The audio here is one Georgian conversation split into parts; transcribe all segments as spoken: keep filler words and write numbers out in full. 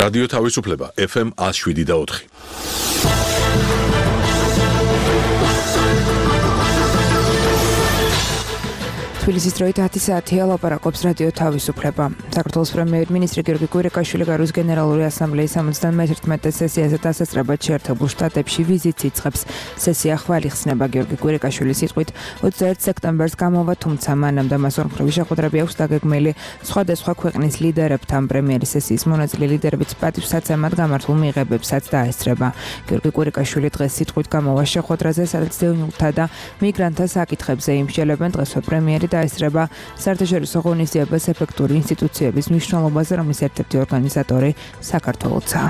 რადიო თავისუფლება ეფ ემ one oh seven და four. თბილისის დროით ათი საათია ლაპარაკობს რადიო თავისუფლება. საქართველოს პრემიერ-მინისტრი გიორგი კვირიკაშვილი გარუს გენერალური ასამბლეის სამოცდამეერთმეტე სესიაზე დასასწრებად შეერთებულ შტატებში ვიზიტს იწყებს. სესია ხვალ იხსნება. გიორგი კვირიკაშვილის სიტყვით ოცდაერთი სექტემბერს გამოვა, თუმცა მანამდე მას ორმხრივი შეხვედრები აქვს დაგეგმილი სხვადასხვა ქვეყნის ლიდერებთან. პრემიერის სესიის მონაწილე ლიდერებიც პატივსაცემად გამართულ მიღებებსაც დაესწრება. გიორგი კვირიკაშვილი დღეს სიტყვით გამოვა შეხვედრაზე, სადაც დევნილთა და მიგრანტთა საკითხებზე იმსჯელებენ. დღესვე პრემიერი დაესწრება საერთაშორისო ღონისძიებას ეფექტური ინსტიტუციების მნიშვნელობაზე, რომლის ერთ-ერთი ორგანიზატორი საქართველოა.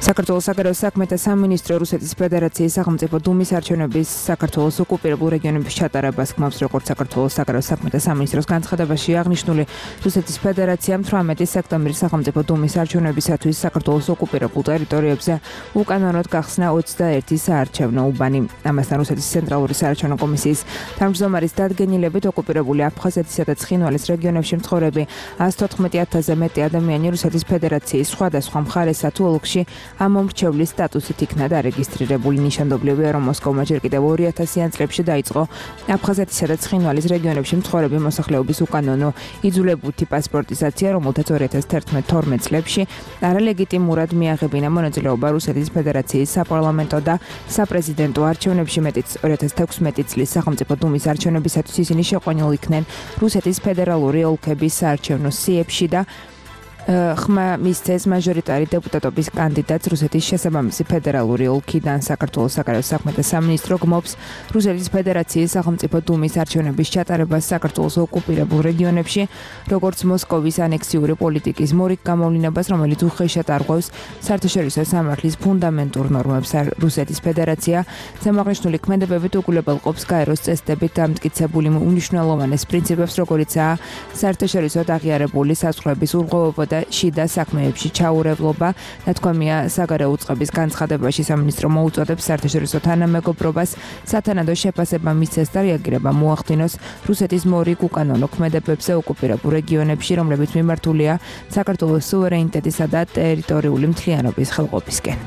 საქართველოს საგარეო საქმეთა სამინისტრო რუსეთის ფედერაციის სახელმწიფო დუმის არჩევნების საქართველოს ოკუპირებულ რეგიონებში ჩატარებას გმობს, როგორც საქართველოს საგარეო საქმეთა სამინისტროს განცხადებაში აღნიშნული. რუსეთის ფედერაციამ თვრამეტი სექტემბრის სახელმწიფო დუმის არჩევნებისათვის საქართველოს ოკუპირებულ ტერიტორიებზე უკანონოდ გახსნა ოცდაერთი საარჩევნო უბანი. ამასთან რუსეთის ცენტრალური საარჩევნო კომისიის თავმჯდომარის დადგენილებით ოკუპირებული აფხაზეთისა და ცხინვალის რეგიონებში მცხოვრები one hundred fourteen thousand-ზე მეტი ადამიანი რუსეთის ფედერაციის სხვადასხვა მხარესა თუ ოლქში ამომრჩევლის სტატუსით იქნა დარეგისტრირებული. ნიშანდობლივია, რომ მოსკოვმა ჯერ კიდევ ორი ათასიან წლებში დაიწყო აფხაზეთისა და ცხინვალის რეგიონებში მცხოვრები მოსახლეობის უკანონო იძულებითი პასპორტიზაცია, რომელთაც ორი ათას თერთმეტ-თორმეტ წლებში არალეგიტიმურად მიაღებინა მონაწილეობა რუსეთის ფედერაციის საპარლამენტო და საპრეზიდენტო არჩევნებში. მეტიც ორი ათას თექვსმეტი წლის სახელმწიფო დუმის არჩევნებისათვის ისინი შეყვანილ იქნენ რუსეთის ფედერალური ოლქების საარჩევნო სიებში და ხმა მისცეს მაჟორიტარი დეპუტატობის კანდიდატს რუსეთის შესაბამისი ფედერალური ოლქიდან. საქართველოს საგარეო საქმეთა სამინისტრო გმობს რუსეთის ფედერაციის სახელმწიფო დუმის არჩევნების ჩატარებას საქართველოს ოკუპირებულ რეგიონებში, როგორც მოსკოვის ანექსიური პოლიტიკის მორიგ გამოვლინებას, რომელიც უხეშად არღვევს საერთაშორისო სამართლის ფუნდამენტურ ნორმებს. რუსეთის ფედერაცია ზემოაღნიშნული ქმედებებით უგულებელყოფს გაეროს წესდებით დამტკიცებული უნიშნელოვანეს პრინციპებს, როგორიცაა საერთაშორისოდ აღიარებული საზღვრების ურღვევობა და შიდა საქმეებში ჩაურევლობა. ნათქვამია საგარეო უწყების განცხადებაში. სამინისტრო მოუწოდებს საერთაშორისო თანამეგობრობას სათანადო შეფასება მისცეს და რეაგირება მოახდინოს რუსეთის მორიგ უკანონო ქმედებებზე ოკუპირებულ რეგიონებში, რომლებიც მიმართულია საქართველოს სუვერენიტეტისა და ტერიტორიული მთლიანობის ხელყოფისკენ.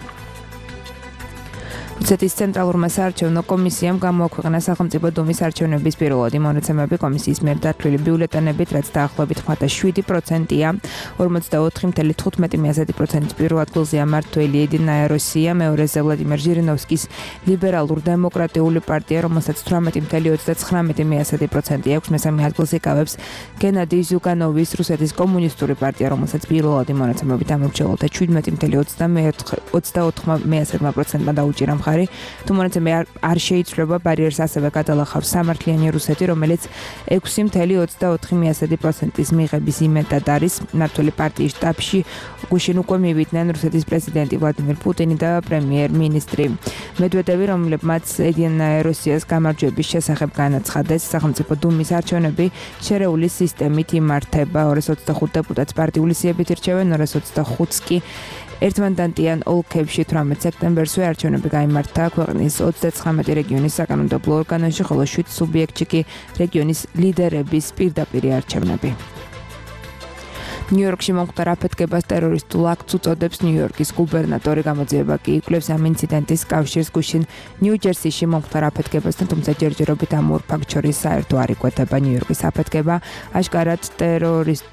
რუსეთის ცენტრალურმა საარჩევნო კომისიამ გამოაქვეყნა სახელმწიფო დუმის არჩევნების პირველადი მონაცემები. კომისიის მიერ დათვლილი ბიულეტენებით, რაც დაახლოებით შვიდი პროცენტია, ორმოცდაოთხი წუთი თხუთმეტი პროცენტის პირველ ადგილზეა მმართველი ედინა როსია, მეორეზე ვლადიმერ ჟირინოვსკის ლიბერალურ დემოკრატიული პარტია, რომელსაც თვრამეტი წუთი ოცდათხრამეტი პროცენტი აქვს. მესამე ადგილს იკავებს გენადი ზუგანოვის რუსეთის კომუნისტური პარტია, რომელსაც პირველადი მონაცემებით ამორჩეულთა შვიდმეტი წუთი ოცდაოთხი პროცენტმა დაუჭირა მხარი. თუ მონაცემები არ შეიცვლება, ბარიერს ასევე გადალახავს სამართლიანი რუსეთი, რომელიც ექვსი წუთი ოცდაოთხი პროცენტის მიღების იმედად არის. მმართველი პარტიის შტაბში გუშინ უკვე მივიდნენ რუსეთის პრეზიდენტი ვლადიმერ პუტინი და პრემიერ-მინისტრი მედვედევი, რომლებმაც ედინა როსიას გამარჯვების შესახებ განაცხადეს. სახელმწიფო დუმის არჩევნები შერეული სისტემით იმართება. ორას ოცდახუთ დეპუტატს პარტიული სიებით ირჩევენ, ორას ოცდახუთს კი ერთმანდატიან ოლქებში. თვრამეტ სექტემბერსვე არჩევნები გაიმართა ქვეყნის ოცდაცხრამეტი რეგიონის საკანონმდებლო ორგანოში, ხოლო შვიდ სუბიექტში კი რეგიონის ლიდერების პირდაპირი არჩევნები. ნიუ-იორკში მომხდარ აფეთქებას ტერორისტულ აქტს უწოდებს ნიუ-იორკის გუბერნატორი. გამოძიება კი იკვლევს ამ ინციდენტის კავშირს გუშინ ნიუ-ჯერსიში მომხდარ აფეთქებასთან, თუმცა ჯერჯერობით ამ ორ ფაქტს შორის საერთო არ იკვეთება. ნიუ-იორკის აფეთქება აშკარად ტერორისტ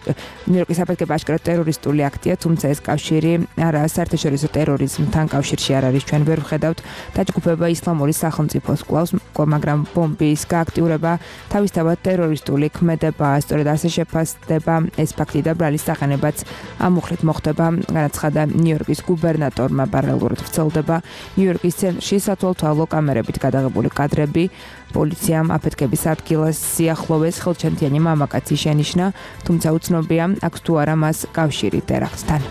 ნიუ-იორკის აფეთქება აშკარად ტერორისტული აქტია, თუმცა ეს კავშირი არაა საერთაშორისო ტერორიზმთან კავშირში არ არის. ჩვენ ვერ ვხედავთ დაჯგუფება ისლამური სახელმწიფოს კლავს, მაგრამ ბომბის გააქტიურება თავისთავად ტერორისტული ქმედებაა. სწორედ ასე შეფასდება ეს ფაქტი და ბრალის სახელებაც ამუხლით მოხდება, განაცხადა ნიუ-იორკის გუბერნატორმა. პარალელურად ვრცელდება ნიუ-იორკის ცენტრში სათვალთვალო კამერებით გადაღებული კადრები. პოლიციამ აფეთქების ადგილას სიახლოვეს ხელჩენთიანი მამაკაცი შენიშნა, თუმცა უცნობია აქვს თუ არა მას კავშირი ტერაქტთან.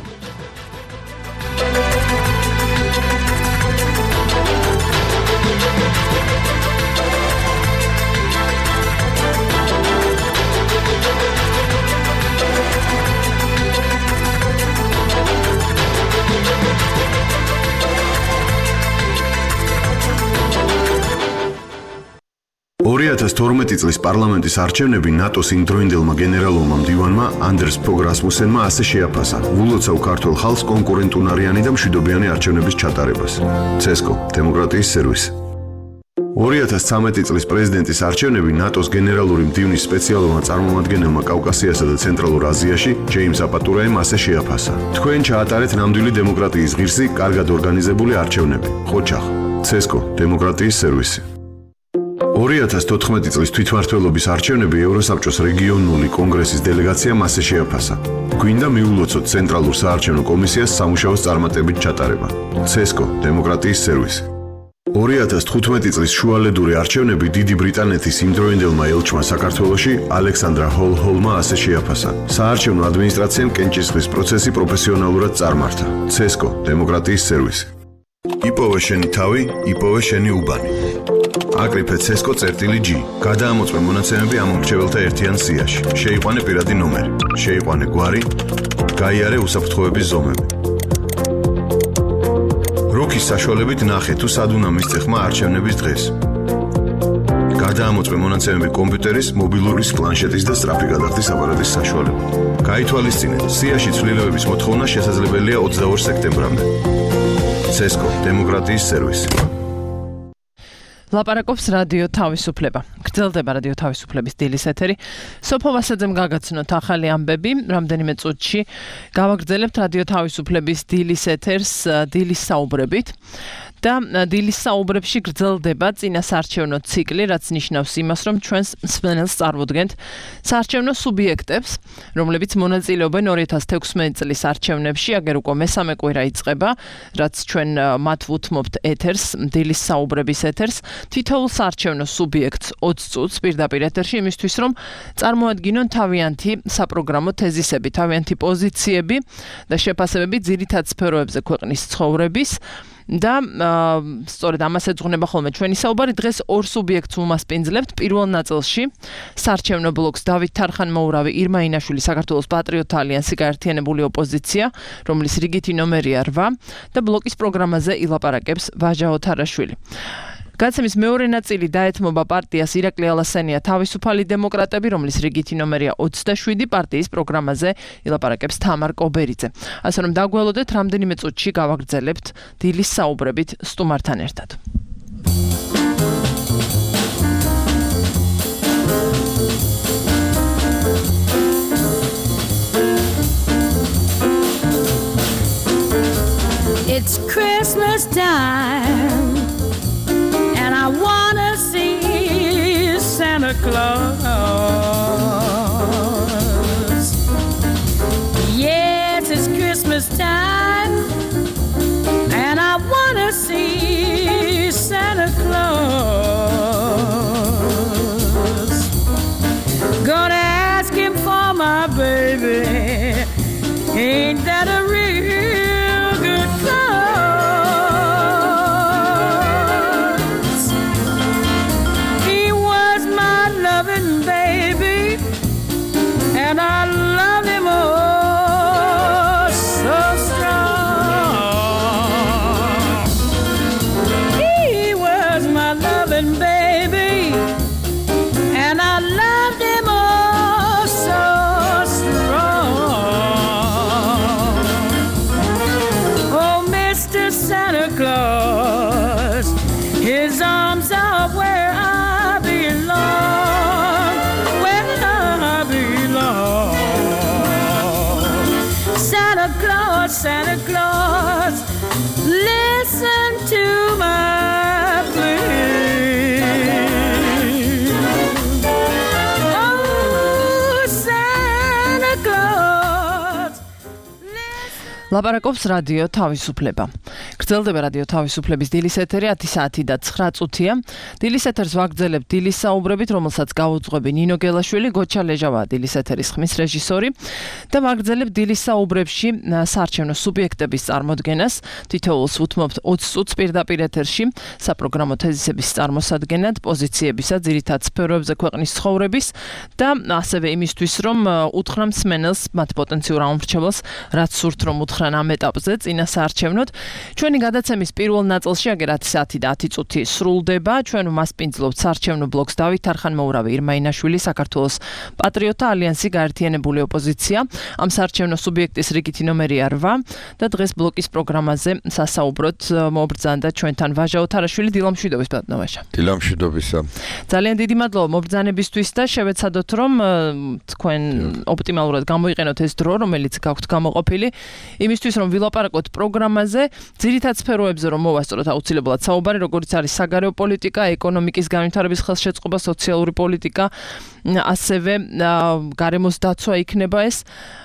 ორი ათას თორმეტი წლის პარლამენტის არჩევნები ნატოს იმდროინდელმა გენერალურმა მდივანმა ანდერს ფოგ რასმუსენმა ასე შეაფასა ულოცავ ქართულ ხალხს კონკურენტუნარიანი და მშვიდობიანი არჩევნების ჩატარებას. ცესკო, დემოკრატიის სერვისი. ორი ათას ცხრამეტი წლის პრეზიდენტის არჩევნები ნატოს გენერალური მდივნის სპეციალურმა წარმომადგენელმა კავკასიასა და ცენტრალურ აზიაში ჯეიმს აპატურაემ ასე შეაფასა. თქვენ ჩაატარეთ ნამდვილი დემოკრატიის ღირსი, კარგად ორგანიზებული არჩევნები. ხოჩახ, ცესკო, დემოკრატიის სერვისი. ორი ათას თოთხმეტი წლის თვითმმართველობის არჩევნები ევროსაბჭოს რეგიონული კონგრესის დელეგაციამ ასე შეაფასა. გვინდა მიულოცოთ ცენტრალურ საარჩევნო კომისიას სამუშაოს წარმატებით ჩატარება. ცესკო, დემოკრატიის სერვისი. ორი ათას თხუთმეტი წლის შუალედური არჩევნები დიდი ბრიტანეთის იმდროინდელმა ელჩმა საქართველოში ალექსანდრა ჰოლ-ჰოლმა ასე შეაფასა. საარჩევნო ადმინისტრაციამ კენჭისყრის პროცესი პროფესიონალურად წარმართა. ცესკო, დემოკრატიის სერვისი. იპოვე შენი თავი, იპოვე შენი უბანი. აკრიფე ცესკო წერტილი G. გადაამოწმე მონაცემები ამ მრჩეველთა ერთიან სიაში. შეიყვანე პირადი ნომერი. შეიყვანე გვარი. გაიარე უსაფრთხოების ზომები. როქის საშუალებით ნახე თუ სად უნდა მისცე ხმა არჩევნების დღეს. გადაამოწმე მონაცემები კომპიუტერის, მობილურის, პლანშეტის და სწრაფი გადახდის აპარატის საშუალებით. გაითვალისწინეთ, სიაში ცვლილებების მოთხოვნა შესაძლებელია ოცდაორ სექტემბრამდე. ცესკო, დემოკრატიის სერვისი. ლაპარაკობს რადიო თავისუფლება. გრძელდება რადიო თავისუფლების დილის ეთერი. სოფო ვასაძემ გაგაცნოთ ახალი ამბები. რამდენიმე წუთში გავაგრძელებთ რადიო თავისუფლების დილის ეთერს დილის საუბრებით. და დილის საუბრებში გრძელდება წინასაარჩევნო ციკლი, რაც ნიშნავს იმას, რომ ჩვენს მსმენელს წარმოადგენთ საარჩევნო სუბიექტებს, რომლებიც მონაწილეობენ ორი ათას თექვსმეტი წლის არჩევნებში, აგერ უკვე მესამე კვირა იწყება, რაც ჩვენ მათ ვუთმობთ ეთერს, დილის საუბრების ეთერს, თითოეულ საარჩევნო სუბიექტს ოცი წუთს პირდაპირ ეთერში, იმისთვის რომ წარმოადგინონ თავიანთი საპროგრამო თეზისები, თავიანთი პოზიციები და შეფასებები ძირითად სფეროებზე ქვეყნის ცხოვრების. და სწორედ ამას ეძღვნება ხოლმე ჩვენი საუბარი. დღეს ორ სუბიექტს უმასპინძლებთ. პირველ ნაწილში საარჩევნო ბლოკს დავით თარხან-მოურავი, ირმა ინაშვილი, საქართველოს პატრიოტთა ალიანსი, გაერთიანებული ოპოზიცია, რომლის რიგითი ნომერია რვა და ბლოკის პროგრამაზე ილაპარაკებს ვაჟა ოთარაშვილი. გადაცემის მეორე ნაწილი დაეთმობა პარტიას ირაკლი ალასენია თავისუფალი დემოკრატები, რომლის რიგითი ნომერია ოცდაშვიდი, პარტიის პროგრამაზე ილაპარაკებს თამარ კობერიძე. ასე რომ დაგველოდეთ, რამდენიმე წუთში გავაგრძელებთ დილის საუბრებით სტუმართან ერთად. It's Christmas time. I wanna see Santa Claus. Yes, it's Christmas time, and I wanna see Santa Claus. Gonna ask him for my baby. Ain't that a real good cause? And I love him oh so strong. He was my loving baby, and I loved him oh so strong. Oh, Mister Santa Claus, his arms are where I belong. Where I belong. Santa Claus, Santa Claus, listen to my plea. Oh, Santa Claus. ლაპარაკობს რადიო თავისუფლება. გრძელდება რადიო თავისუფლების დილის ეთერი ათი საათი და ცხრა წუთია. დილის ეთერს ვაგრძელებთ დილის საუბრებით, რომელსაც გაუძღვები ნინო გელაშვილი, გოჩა ლეჟავა დილის ეთერის ხმის რეჟისორი და ვაგრძელებთ დილის საუბრებში საარჩევნო სუბიექტების წარმოდგენას. თითოეულს უთმობთ ოცი წუთს პირდაპირ ეთერში საპროგრამო თეზისების წარმოსადგენად, პოზიციებისა ძირითად სფეროებზე ქვეყნის ცხოვრების და ასევე იმისთვის, რომ უთხრა მსმენელს, მათ პოტენციურ ამორჩეველს, რაც სურთ რომ უთხრან ამ ეტაპზე წინასაარჩევნოდ. ჩვენი გადაცემის პირველ ნაწილში აგერათ საათი და ათი წუთი სრულდება. ჩვენ მასპინძლობთ საარჩევნო ბლოკს დავით არხანმოურავი, ირმა ინაშვილი, საქართველოს პატრიოტთა ალიანსი, გაერთიანებული ოპოზიცია. ამ საარჩევნო სუბიექტის რიგითი ნომერია რვა და დღეს ბლოკის პროგრამაზე სასაუბროთ მობრძანდა ჩვენთან ვაჟა ოთარაშვილი. დილამშვიდობის ბატონო ვაჟა. დილამშვიდობისა. ძალიან დიდი მადლობა მობრძანებისთვის და შევეცადოთ რომ თქვენ ოპტიმალურად გამოიყენოთ ეს დრო, რომელიც გაქვთ გამოყოფილი, იმისთვის რომ ვილაპარაკოთ პროგრამაზე, ძირითად სფეროებზე რომ მოვასწროთ აუცილებლად საუბარი, როგორც არის საგარეო პოლიტიკა, ეკონომიკის განვითარების ხელშეწყობა, სოციალური პოლიტიკა, ასევე გარემოს დაცვა იქნება ეს,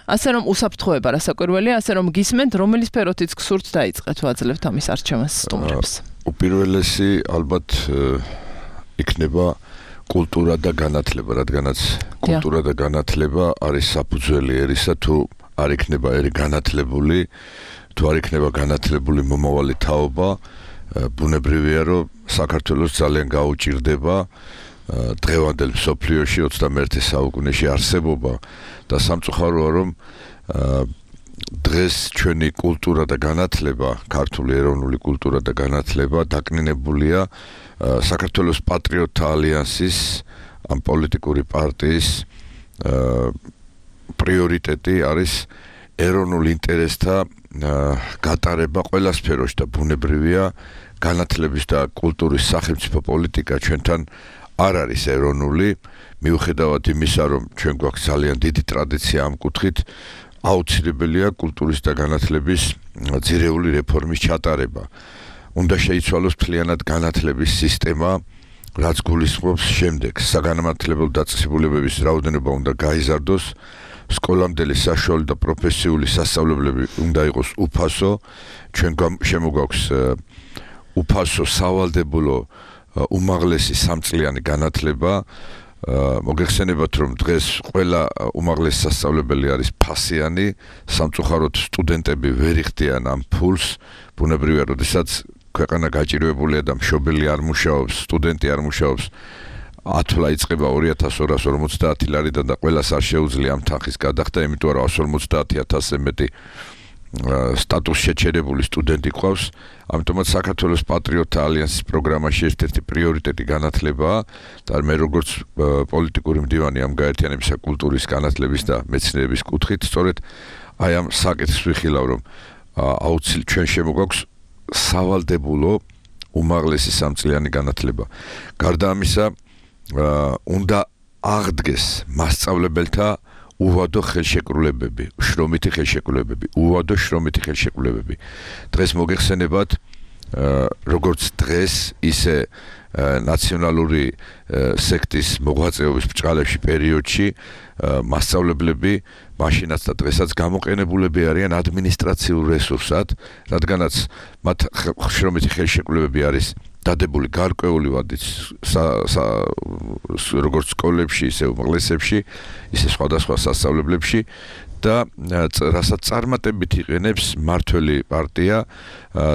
ასე რომ უსაფრთხოება რასაკვირველია, ასე რომ გისმენთ, რომელი სფეროთიც გსურთ დაიწყეთ ვაძლევთ ამის არჩევანს სტუმრებს. უპირველესი ალბათ იქნება კულტურა და განათლება, რადგანაც კულტურა და განათლება არის საფუძველი ერისა, თუ არ იქნება ერი განათლებული, თუ არ იქნება განათლებული მომავალი თაობა, ბუნებრივია, რომ საქართველოს ძალიან გაუჭირდება დღევანდელ მსოფლიოში ოცდამეერთე საუკუნეში არსებობა და სამწუხაროა, რომ დღეს ჩვენი კულტურა და განათლება, ქართული ეროვნული კულტურა და განათლება დაკნინებულია საქართველოს პატრიოტთა ალიანსის ამ პოლიტიკური პარტიის პრიორიტეტი არის ეროვნულ ინტერესთა გატარება ყველა სფეროში და ბუნებრივია განათლების და კულტურის სახელმწიფო პოლიტიკა ჩვენთან არ არის ეროვნული, მიუხედავად იმისა, რომ ჩვენ გვაქვს ძალიან დიდი ტრადიცია ამ კუთხით, აუცილებელია კულტურის და განათლების ძირეული რეფორმის ჩატარება. უნდა შეიცვალოს მთლიანად განათლების სისტემა, რაც გულისხმობს შემდეგს: საგანმანათლებლო დაწესებულებების რაოდენობა უნდა გაიზარდოს, სკოლამდელი საშუალო და პროფესიული სასწავლებლები უნდა იყოს უფასო, ჩვენ შემოგვაქვს უფასო სავალდებულო უმაღლესი სამწლიანი განათლება. მოგეხსენებათ, რომ დღეს ყველა უმაღლესი სასწავლებელი არის ფასიანი, სამწუხაროდ სტუდენტები ვერ იხდიან ამ ფულს, ბუნებრივია, როდესაც ქვეყანა გაჭირვებულია და მშობელი არ მუშაობს, სტუდენტი არ მუშაობს, ათვლა იწყება ორი ათას ორას ორმოცდაათი ლარიდან და ყველას არ შეუძლია ამ თანხის გადახდა, იმიტომ რომ εκατს ორმოცდაათი ათასზე მეტი სტატუს შეჩერებული სტუდენტი ყავს. ამიტომაც საქართველოს პატრიოტთა ალიანსის პროგრამაში ერთ-ერთი პრიორიტეტი განათლებაა და მე როგორც პოლიტიკური მდივანი ამ გაერთიანებისა კულტურის, განათლების და მეცნიერების კუთხით, სწორედ აი ამ საკითხს ვიხილავ, რომ აუცილებლად ჩვენ შემოგვაქვს სავალდებულო უმაღლესი სამწლიანი განათლება. გარდა ამისა, უნდა აღდგეს მასწავლებელთა უვადო ხელშეკრულებები, შრომითი ხელშეკრულებები, უვადო შრომითი ხელშეკრულებები. დღეს მოგეხსენებათ, როგორც დღეს, ისე ნაციონალური სექტის მოღვაწეობის ბრჭყალებში პერიოდში მასწავლებლები მაშინაც და დღესაც გამოყენებულები არიან ადმინისტრაციულ რესურსად, რადგანაც მათ შრომითი ხელშეკრულებები არის დადებული გარკვეული ვადით როგორც სკოლებში, ისე უმაღლესებში, ისე სხვადასხვა სასწავლებლებში და რასაც წარმატებით იყენებს მმართველი პარტია,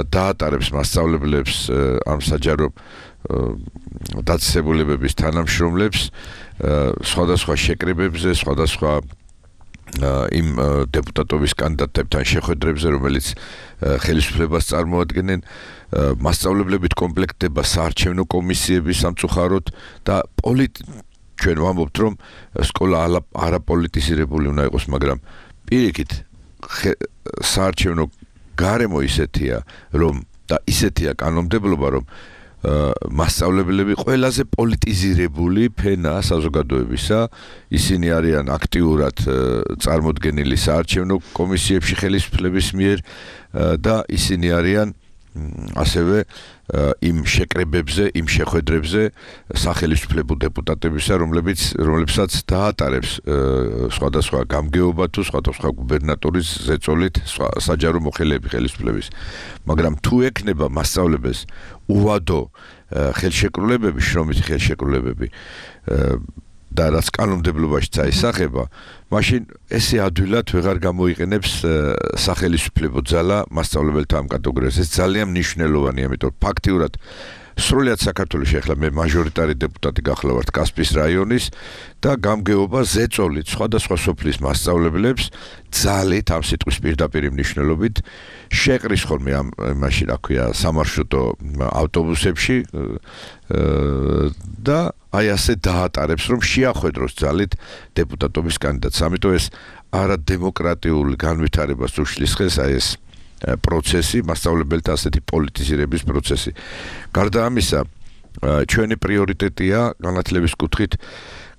დაატარებს მასწავლებლებს ამ საჯარო დაწესებულებების თანამშრომლებს სხვადასხვა შეკრებებზე, სხვადასხვა იმ დეპუტატობის კანდიდატებთან შეხვედრებზე, რომელიც ხელისუფლებას წარმოადგენენ, მასწავლებლებით კომპლექტდება საარჩევნო კომისიები სამწუხაროდ და ჩვენ ვამბობთ, რომ სკოლა არაპოლიტიზირებული უნდა იყოს, მაგრამ პირიქით საარჩევნო გარემო ისეთია, რომ და ისეთია კანონმდებლობა, რომ მასწავლებლები ყველაზე პოლიტიზირებული ფენა საზოგადოებისა, ისინი არიან აქტიურად წარმოდგენილი საარჩევნო კომისიებში ხელისუფლების მიერ და ისინი არიან ასევე იმ შეკრებებზე, იმ შეხვედრებზე სახელისუფლებო დეპუტატებისა, რომლებიც რომლებსაც დაატარებს სხვადასხვა გამგეობა თუ სხვადასხვა გუბერნატორის ზეწოლით საჯარო მოხელეები ხელისუფლების. მაგრამ თუ ექნება მასწავლებელს უვადო ხელშეკრულებები, შრომითი ხელშეკრულებები და რაც კანონმდებლობაში წაისახება, მაშინ ესე ადვილად ვეღარ გამოიყენებს სახელისუფლებო ძალა მასწავლებელთა ამ კატეგორიას. ეს ძალიან მნიშვნელოვანია, იმიტომ რომ ფაქტიურად სრულად საქართველოში ახლა მე მაჟორიტარი დეპუტატი გახლავართ კასპიის რაიონის და გამგეობა ზეწოლით სხვადასხვა სოფლის მასწავლებლებს ძალით ამ სიტყვის პირდაპირ მნიშვნელობით შეყრის ხოლმე ამ მაშინ რა ქვია სამარშრუტო ავტობუსებში და აი ასე დაატარებს რომ შეახვედროს ძალით დეპუტატობის კანდიდატს. ამიტომ ეს არადემოკრატიული განვითარებას უშლის ხელს აი ეს პროცესი, მასწავლებელთა ასეთი პოლიტიზირების პროცესი. გარდა ამისა, ჩვენი პრიორიტეტია განათლების კუთხით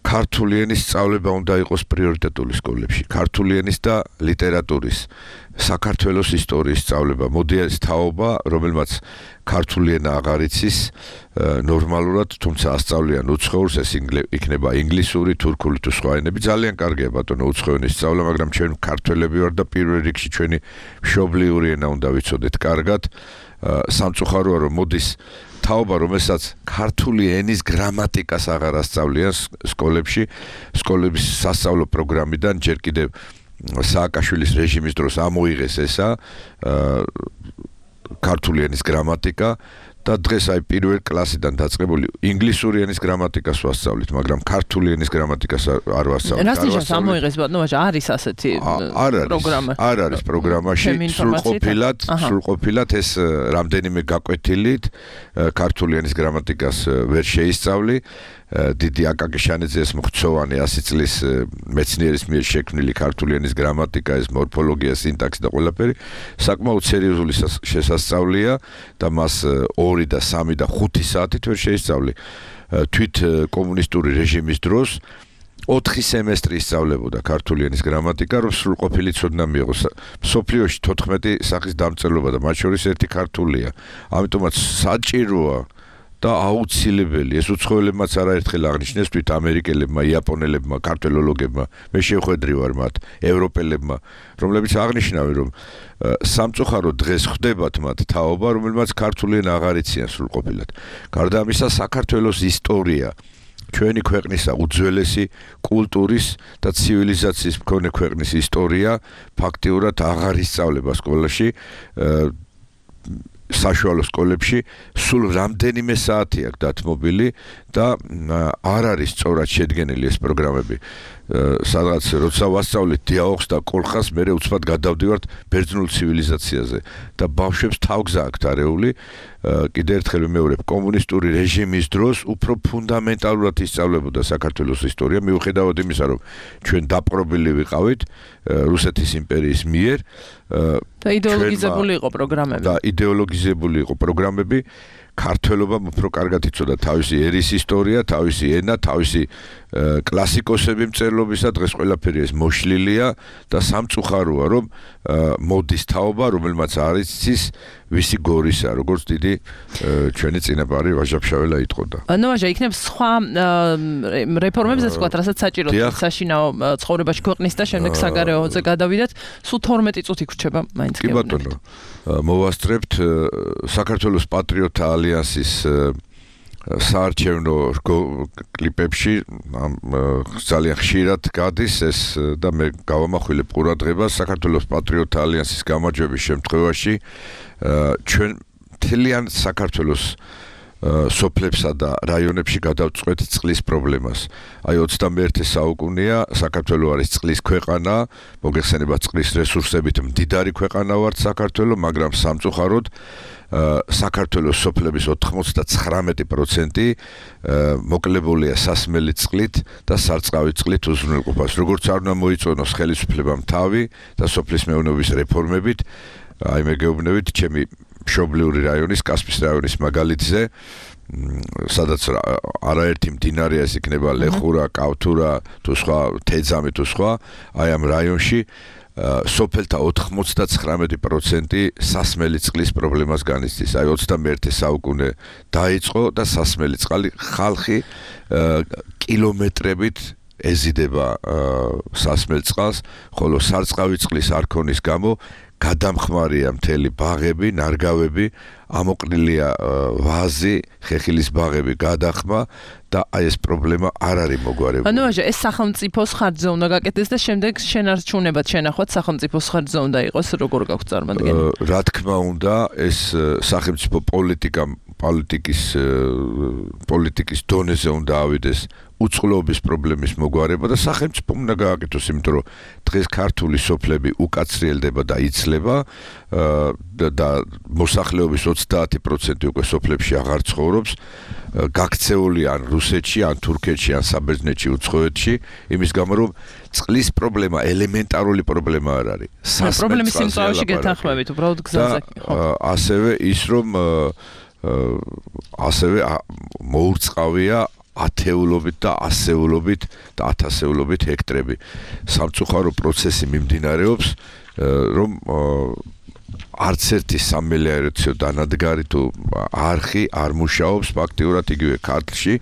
ქართული ენის სწავლება უნდა იყოს პრიორიტეტული სკოლებში. ქართული ენის და ლიტერატურის, საქართველოს ისტორიის სწავლება, მოდი ეს თაობა, რომელმაც ქართული ენა აღარ იცის ნორმალურად, თუმცა ასწავლიან უცხოურს, ეს იქნება ინგლისური, თურქული თუ სხვა ენები. ძალიან კარგია ბატონო უცხო ენის სწავლა, მაგრამ ჩვენ ქართველები ვარ და პირველ რიგში ჩვენი მშობლიური ენა უნდა ვიცოდეთ კარგად. სამწუხაროა რომ მოდის თაობა, რომელსაც ქართული ენის გრამატიკას აღარ ასწავლიან სკოლებში, სკოლების სასწავლო პროგრამიდან ჯერ კიდევ სააკაშვილის რეჟიმის დროს ამოიღეს ესა ქართული ენის გრამატიკა და დღეს აი პირველ კლასიდან დაწყებული ინგლისური ენის გრამატიკას ვასწავლით, მაგრამ ქართული ენის გრამატიკას არ ვასწავლით. რას ნიშნავს ამოიღეს ბატონო, არის ასეთი პროგრამა? არ არის პროგრამაში, სრულყოფილად, სრულყოფილად ეს რამდენიმე გაკვეთილით ქართული ენის გრამატიკას ვერ შეისწავლი. დიდი აკაკი შანიძეს მხცოვანი ასი წლის მეცნიერის მიერ შექმნილი ქართული ენის გრამატიკა, ეს მორფოლოგია, სინტაქსი და ყველაფერი საკმაოდ სერიოზული შესასწავლია და მას ორი და სამი და ხუთი საათით ვერ შეისწავლი. თვით კომუნისტური რეჟიმის დროს ოთხი სემესტრი ისწავლებოდა ქართული ენის გრამატიკა, რომ სრულყოფილი ცოდნა მიიღოს. მსოფლიოში თოთხმეტი სახის დამწერლობა და მათ შორის ერთი ქართულია. ამიტომაც საჭიროა და აუცილებელი ეს უცხოელებმაც არაერთხელ აღნიშნეს თვით ამერიკელებმა, იაპონელებმა, ქართველოლოგებმა, მე შევხვედრი ვარ მათ, ევროპელებმა, რომლებიც აღნიშნავენ რომ სამწუხაროდ დღეს ხდებათ მათ თაობა, რომელმაც ქართული ენა აღარ იციან სრულყოფილად. გარდა ამისა, საქართველოს ისტორია ჩვენი ქვეყნისა უძველესი კულტურის და ცივილიზაციის მქონე ქვეყნის ისტორია ფაქტიურად აღარ ისწავლება სკოლაში. საშუალო სკოლებში სულ რამდენიმე საათი აქვს დათმობილი და არ არის სწორად შედგენილი ეს პროგრამები. სადღაც როცა ვასწავლით დიაოხს და კოლხას, მე უცბად გადავდივართ ბერძნულ ცივილიზაციაზე და ბავშვებს თავგზა აქვთ არეული. კიდევ ერთხელ ვიმეორებ, კომუნისტური რეჟიმის დროს უფრო ფუნდამენტალურად ისწავლებოდა საქართველოს ისტორია, მიუხედავად იმისა, რომ ჩვენ დაპყრობილი ვიყავით რუსეთის იმპერიის მიერ და იდეოლოგიზებული იყო პროგრამები. და იდეოლოგიზებული იყო პროგრამები. ქართველობამ უფრო კარგად იცოდა თავისი ერის ისტორია, თავისი ენა, თავისი კლასიკოსები მწერლობისა, დღეს ყველაფერი ეს მოშლილია და სამწუხაროა, რომ მოდის თაობა, რომელმაც არ იცის ვისი გორისა, როგორც დიდი ჩვენი წინაპარი ვაჟა-ფშაველა იტყოდა. ნუ ვაჟა, იქნებ სხვა რეფორმებზეც ვთქვათ, რასაც საჭიროა საშინაო ცხოვრებაში ქვეყნის და შემდეგ საგარეოზე გადავიდეთ, სულ თორმეტი წუთი გრჩება მაინც კი ბატონო. მოვასწრებთ საქართველოს პატრიოტთა ალიანსის საარჩევნო კლიპებში ძალიან ხშირად გადის ეს და მე გავამახვილებ ყურადღებას საქართველოს პატრიოტთა ალიანსის გამარჯვების შემთხვევაში ჩვენ მთლიან საქართველოს სოფლებსა და რაიონებში გადავწყვეტ წყლის პრობლემას. აი ოცდამეერთე საუკუნეა საქართველო არის წყლის ქვეყანა, მოგეხსენება წყლის რესურსებით მდიდარი ქვეყანა ვართ საქართველო, მაგრამ სამწუხაროდ საქართველოს სოფლების ოთხმოცდათხრამეტი პროცენტი მოკლებულია სასმელი წყლით და სარწყავი წყლით უზრუნველყოფას. როგორც არ უნდა მოიწონოს ხელისუფლებამ თავი და სოფლის მეურნეობის რეფორმებით, აი მე გეუბნებით ჩემი მშობლიური რაიონის, კასპიის რაიონის მაგალითზე, სადაც არაერთი მდინარეა, ეს იქნება ლეხურა, კავთურა, თუ სხვა, თეძამი თუ სხვა, აი ამ რაიონში სოფელთა ოთხმოცდათხრამეტი პროცენტი სასმელი წყლის პრობლემას განიცდის. აი ოცდამეერთე საუკუნე დაიწყო და სასმელი წყალი ხალხი კილომეტრებით ეზიდება სასმელ წყალს, ხოლო სარწყავი წყლის არ ქონის გამო გადამხმარია მთელი ბაღები, ნარგავები, ამოყრილია ვაზი, ხეხილის ბაღები გადახმა და აი ეს პრობლემა არ არის მოგვარებული. ანუ ვაჟა, ეს სახელმწიფოს ხარჯზე უნდა გაკეთდეს და შემდეგ შენარჩუნებად შენახვაც სახელმწიფოს ხარჯზე უნდა იყოს, როგორ გაქვს წარმოდგენილი? რა თქმა უნდა, ეს სახელმწიფო პოლიტიკა პოლიტიკის პოლიტიკის დონეზე უნდა ავიდეს უწყლობის პრობლემის მოგვარება და სახელმწიფომ უნდა გააკეთოს, იმიტომ რომ დღეს ქართული სოფლები უკაცრიელდება და იცლება და მოსახლეობის ოცდაათი პროცენტი უკვე სოფლებში აღარ ცხოვრობს, გაქცეული ან რუსეთში, ან თურქეთში, ან საბერძნეთში, უცხოეთში, იმის გამო რომ წყლის პრობლემა ელემენტარული პრობლემა არ არის. პრობლემის სიმწვავეში გეთანხმებით, უბრალოდ გზაზე. ასევე ის რომ ასევე მოურწყავია ათეულობით და ასეულობით და ათასეულობით ჰექტრები. სამწუხარო პროცესი მიმდინარეობს, რომ არც ერთი სამელიორაციო დანადგარი თუ არხი არ მუშაობს ფაქტიურად იგივე ქართლში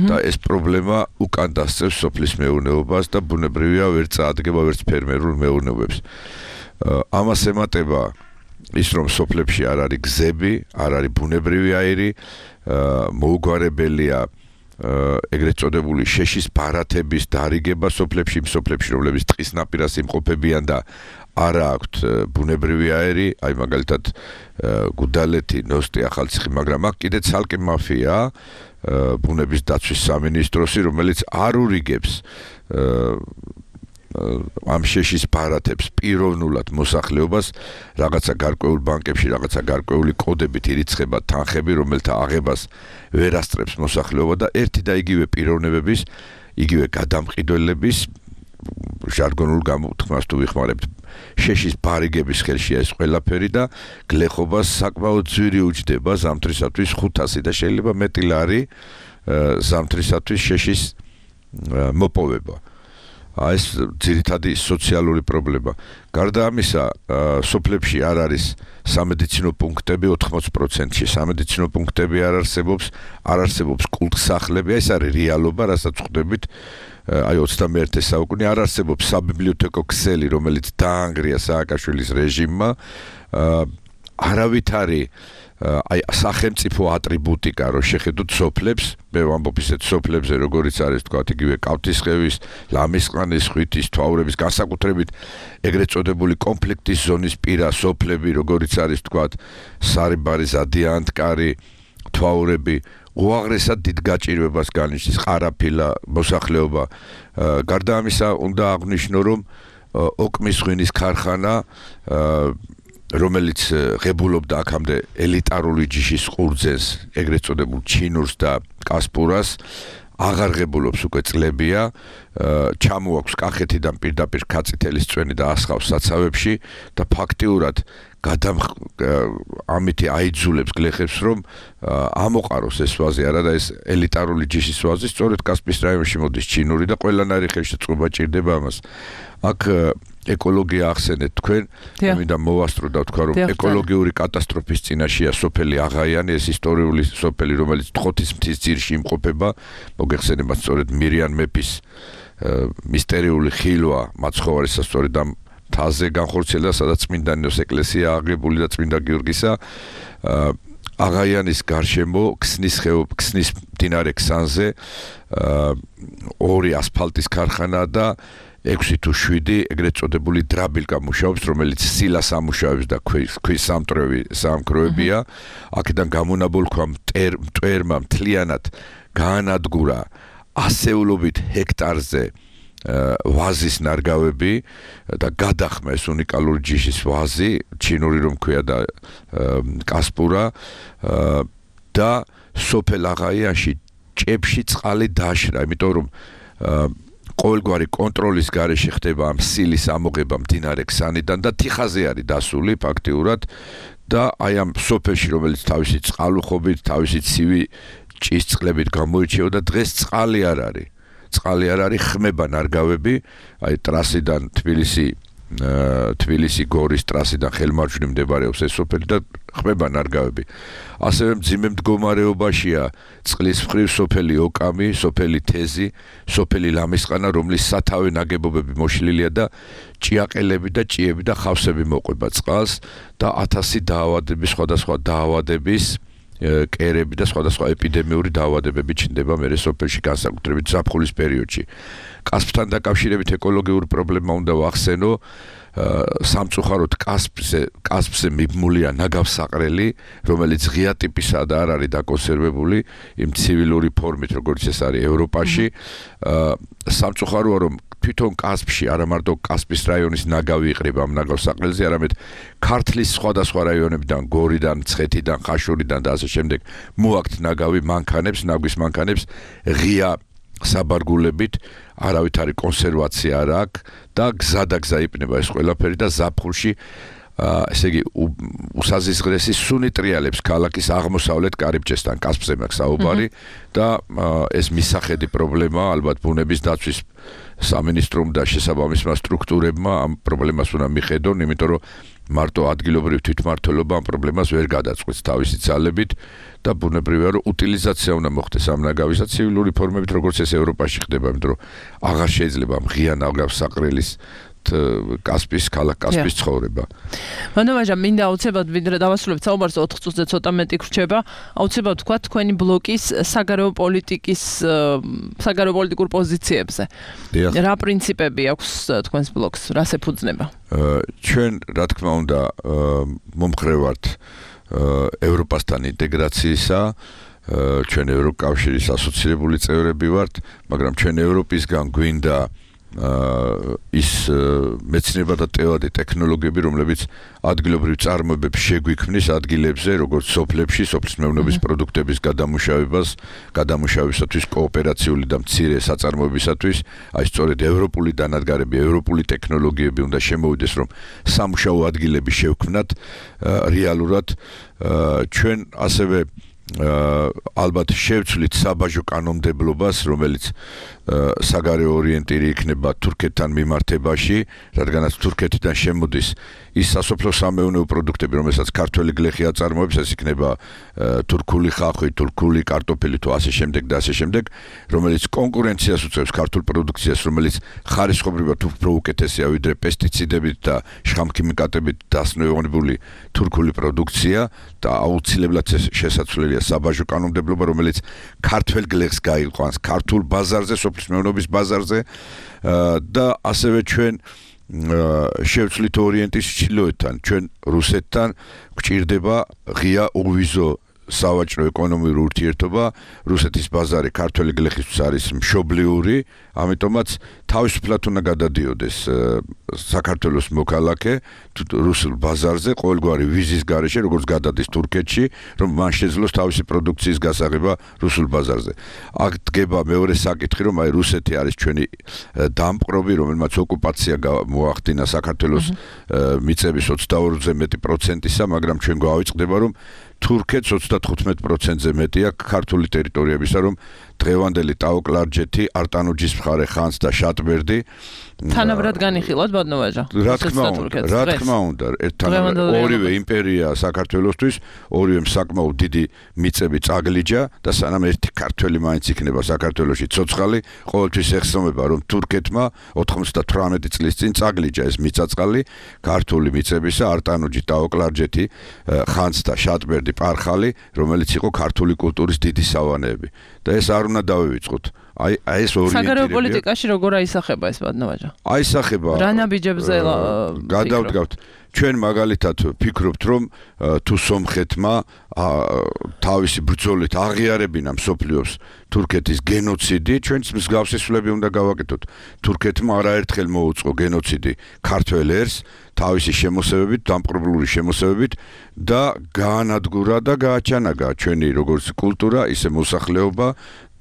და ეს პრობლემა უკან დასწევს სოფლის მეურნეობას და ბუნებრივია ვერ წაადგება ვერც ფერმერულ მეურნეობებს. ამას ემატება ის რომ სოფლებში არ არის გზები, არ არის ბუნებრივი აირი, მოუგვარებელია ეგრეთ წოდებული შეშის ბარათების დარიგება სოფლებში, იმ სოფლებში, რომლებიც ტყის ნაპირას იმყოფებიან და არა აქვთ ბუნებრივი აირი, აი მაგალითად გუდალეთი, ნოსტი, ახალციხე, მაგრამ აქ კიდე ცალკე მაფია ბუნების დაცვის სამინისტროსი, რომელიც არ ურიგებს ამ შეშის ბარათებს პიროვნულად მოსახლეობას რაღაცა გარკვეულ ბანკებში, რაღაცა გარკვეული კოდებით ირიცხება თანხები, რომელთა აღებას ვერ ასწრებს მოსახლეობა და ერთი და იგივე პიროვნებების, იგივე გადამყიდველების ჟარგონულ გამოთქმას თუ ვიხმარებთ, შეშის ბარიგების ხელშია ეს ყველაფერი და გლეხობას საკმაოდ ძვირი უჯდება ზამთრისათვის ხუთასი და შეიძლება მეტი ლარი ზამთრისათვის შეშის მოპოვება. ეს ძირითადი სოციალური პრობლემა. გარდა ამისა, სოფლებში არ არის სამედიცინო პუნქტები ოთხმოცი პროცენტში. სამედიცინო პუნქტები არ არსებობს, არ არსებობს კულტსახლები, ეს არის რეალობა, რასაც ხვდებით. აი ოცდამეერთე საუკუნე არ არსებობს საბიბლიოთეკო ქსელი, რომელიც დაანგრია სააკაშვილის რეჟიმმა. არავით არის აი სახელმწიფო ატრიბუტიკა, რომ შეხედოთ სოფლებს, მე ვამბობ ისეთ სოფლებზე, როგორიც არის თქვა იგივე კავთისხევის, ლამისყანის, ხვითის, თვალურების, განსაკუთრებით ეგრეთ წოდებული კონფლიქტის ზონის პირა სოფლები, როგორიც არის თქვა სარიბარი, ზადიანტკარი, თვალურები, უაღრესად დიდ გაჭირვებას განიშნის ყარაფილა მოსახლეობა. გარდა ამისა, უნდა აღვნიშნო, რომ ოკმის ღვინის ქარხანა რომელიც ღებულობდა აქამდე ელიტარული ჯიშის ყურძენს, ეგრეთ წოდებულ ჩინურს და კასპურას, აღარ ღებულობს უკვე წლებია, ჩამოაქვს კახეთიდან პირდაპირ ქაწითელის წვენი და ასხავს საცავებში და ფაქტიურად ამითი აიძულებს გლეხებს, რომ ამოყაროს ეს ვაზი არა და ეს ელიტარული ჯიშის ვაზი სწორედ კასპიის რაიონში მოდის ჩინური და ყველანაირი ხელშეწყობა ჭირდება ამას. აქ ეკოლოგია ახსენეთ თქვენ, მინდა მოვასწრო და ვთქვა, რომ ეკოლოგიური კატასტროფის წინაშეა სოფელი აღაიანი, ეს ისტორიული სოფელი, რომელიც ტყოთის მთის ძირში იმყოფება, მოგეხსენებათ სწორედ მირიან მეფის მისტერიული ხილვა მაცხოვარისა სწორედ ამ მთაზე განხორციელდა, სადაც წმინდანოს ეკლესია აღებული და წმინდა გიორგისა. აღაიანის გარშემო ქსნის ხეობ, ქსნის მდინარე ქსანზე ორი ასფალტის ქარხანა და ექვსი თუ შვიდი ეგრეთ წოდებული დრაბილკა მუშაობს, რომელიც სილას ამუშავებს და ქვის სამტრევი სამქროებია. აქედან გამონაბოლქვა მტვერმა მთლიანად გაანადგურა ასეულობით ჰექტარზე ვაზის ნარგავები და გადახმა ეს უნიკალური ჯიშის ვაზი, ჩინური რომ ქვია და კასპურა და სოფელ აღაიანში ჭებში წყალი დაშრა, იმიტომ რომ ყოველგვარი კონტროლის გარეშე ხდება ამ სილის ამოღება მდინარე ქსანიდან და თიხაზე არის დასული ფაქტიურად და აი ამ სოფელში, რომელიც თავისი წყალუხობით, თავისი ცივი ჭისწყლებით გამოირჩეოდა, დღეს წყალი არ არის. წყალი არ არის, ხმება ნარგავები, აი ტრასიდან თბილისი თბილისი გორის ტრასიდან ხელმარჯვნივ მდებარეობს ეს სოფელი და ხმება ნარგავები. ასევე მძიმე მდგომარეობაშია წყლის მხრივ სოფელი ოკამი, სოფელი თეზი, სოფელი ლამისყანა, რომლის სათავე ნაგებობები მოშლილია და ჭიაყელები და ჭიები და ხავსები მოყვება წყალს და ათასი დაავადების, სხვადასხვა დაავადების კერები და სხვადასხვა ეპიდემიური დაავადებები ჩნდება მერე სოფელში, განსაკუთრებით ზაფხულის პერიოდში. კასპთან დაკავშირებით ეკოლოგიური პრობლემა უნდა ვახსენო, სამწუხაროდ კასპზე კასპზე მიბმულია ნაგავსაყრელი, რომელიც ღია ტიპისაა და არ არის დაკონსერვებული იმ ცივილური ფორმით, როგორც ეს არის ევროპაში. სამწუხაროა, რომ თვითონ კასპში არა მარტო კასპის რაიონის ნაგავი იყრება ამ ნაგავსაყრელზე, არამედ ქართლის სხვადასხვა რაიონებიდან, გორიდან, მცხეთიდან, ხაშურიდან და ასე შემდეგ მოაქვთ ნაგავი მანქანებს, ნაგვის მანქანებს ღია საბარგულებით, არავითარი კონსერვაცია არ აქვს და გზადაგზა იპნება ეს ყველაფერი და ზაფხულში ესე იგი უსაზღვრესი სუნი ტრიალებს ქალაქის აღმოსავლეთ კარიბჭესთან კასპზე მაქვს საუბარი და ეს მისახედი პრობლემაა ალბათ ბუნების დაცვის სამინისტრომ და შესაბამისმა სტრუქტურებმა ამ პრობლემას უნდა მიხედონ, იმიტომ რომ მარტო ადგილობრივ თვითმმართველობა ამ პრობლემას ვერ გადაწყვეტს თავისი ძალებით და ბუნებრივია რომ უტილიზაცია უნდა მოხდეს ამ ნაგავისა ცივილური ფორმებით, როგორც ეს ევროპაში ხდება, იმიტომ რომ აღარ შეიძლება ღია ნაგავსაყრელის კასპის ქალაქ კასპის ცხოვრება. მანდამაჟა მინდა აუცილებლად ვიდრე დავასრულებთ საუბარს ოთხ წუთზე ცოტა მეტი გრჩება. აუცილებლად თქვა თქვენი ბლოკის საგარეო პოლიტიკის საგარეო პოლიტიკურ პოზიციებზე. რა პრინციპები აქვს თქვენს ბლოკს? რას ეფუძნება? ჩვენ რა თქმა უნდა მომხრე ვართ ევროპასთან ინტეგრაციისა, ჩვენ ევროკავშირის ასოცირებული წევრები ვართ, მაგრამ ჩვენ ევროპისგან გვინდა ის მეცნიერება და ტექნოლოგიები ტექნოლოგიები, რომლებიც ადგილობრივ წარმოებებს შეგვიქმნის ადგილებზე, როგორც სოფლებში, სოფლის მეურნეობის პროდუქტების გადამუშავებას, გადამუშავებისათვის კოოპერაციული და მცირე საწარმოებისათვის, აი სწორედ ევროპული დანადგარები, ევროპული ტექნოლოგიები უნდა შემოვიდეს, რომ სამუშაო ადგილები შევქმნათ რეალურად. ჩვენ ასევე ალბათ შევცვლით საბაჟო კანონმდებლობას, რომელიც საგარეო ორიენტირი იქნება თურქეთთან მიმართებაში, რადგანაც თურქეთიდან შემოდის ის სასოფლო სამეურნეო პროდუქტები, რომელსაც ქართველი გლეხი აწარმოებს, ეს იქნება თურქული ხახვი, თურქული კარტოფილი თუ ასე შემდეგ და ასე შემდეგ, რომელიც კონკურენციას უწევს ქართულ პროდუქციას, რომელიც ხარისხობრივად უფრო უკეთესია ვიდრე პესტიციდებით და შხამქიმიკატებით დასნეულებული თურქული პროდუქცია და აუცილებლად შესაძლებელია საბაჟო კანონმდებლობა, რომელიც ქართველ გლეხს გაიყვანს ქართულ ბაზარზე, სოფლის მეურნეობის ბაზარზე და ასევე ჩვენ შევცვლით ორიენტის ჩრდილოეთთან, ჩვენ რუსეთთან გვჭირდება ღია უვიზო სავაჭრო ეკონომიური ურთიერთობა, რუსეთის ბაზარი ქართველი გლეხისთვის არის მშობლიური, ამიტომაც თავისუფლად უნდა გადადიოდეს საქართველოს მოქალაქე რუსულ ბაზარზე ყოველგვარი ვიზის გარეშე, როგორც გადადის თურქეთში, რომ მან შეძლოს თავისი პროდუქციის გასაღება რუსულ ბაზარზე. აქ დგება მეორე საკითხი, რომ აი რუსეთი არის ჩვენი დამპყრობი, რომელმაც ოკუპაცია მოახდინა საქართველოს მიწების ოცდაორზე მეტი პროცენტისა, მაგრამ ჩვენ გვავიწყდება, რომ თურქეთს ოცდათხუთმეტ პროცენტზე მეტი აქვს ქართული ტერიტორიებისა, რომ დღევანდელი ტაო-კლარჯეთი, არტანუჯის მხარე, ხანს და შატბერდი თანაბრად განიხილოთ ბატონო-ვაჟა. რა თქმა უნდა, რა თქმა უნდა, ერთთან ორივე იმპერია საქართველოსთვის, ორივე საკმაოდ დიდი მიწები წაგლიჯა და სანამ ერთი ქართველი მაინც იქნება საქართველოში ცოცხალი, ყოველთვის ეხსოვება, რომ თურქეთმა ოთხმოცდათვრამეტი წლის წინ წაგლიჯა ეს მიწაწყალი ქართული მიწებისა, არტანუჯი, ტაო-კლარჯეთი, ხანს და შატბერდი, პარხალი, რომელიც იყო ქართული კულტურის დიდი სავანეები. და ეს არ უნდა დავივიწყოთ. აი აი ეს ორიენტირება. საგარეო პოლიტიკაში როგორ აისახება ეს ბატონო-ვაჟა? აისახება. რა ნაბიჯებზე გადავდგავთ. ჩვენ მაგალითად ვფიქრობთ, რომ თუ სომხეთმა თავისი ბრძოლით აღიარებინა მსოფლიოს თურქეთის გენოციდი, ჩვენც მსგავსი სვლები უნდა გავაკეთოთ. თურქეთმა არაერთხელ მოუწყო გენოციდი ქართველ ერს თავისი შემოსევებით, დამპყრობლური შემოსევებით და გაანადგურა და გააჩანაგა ჩვენი როგორც კულტურა, ისე მოსახლეობა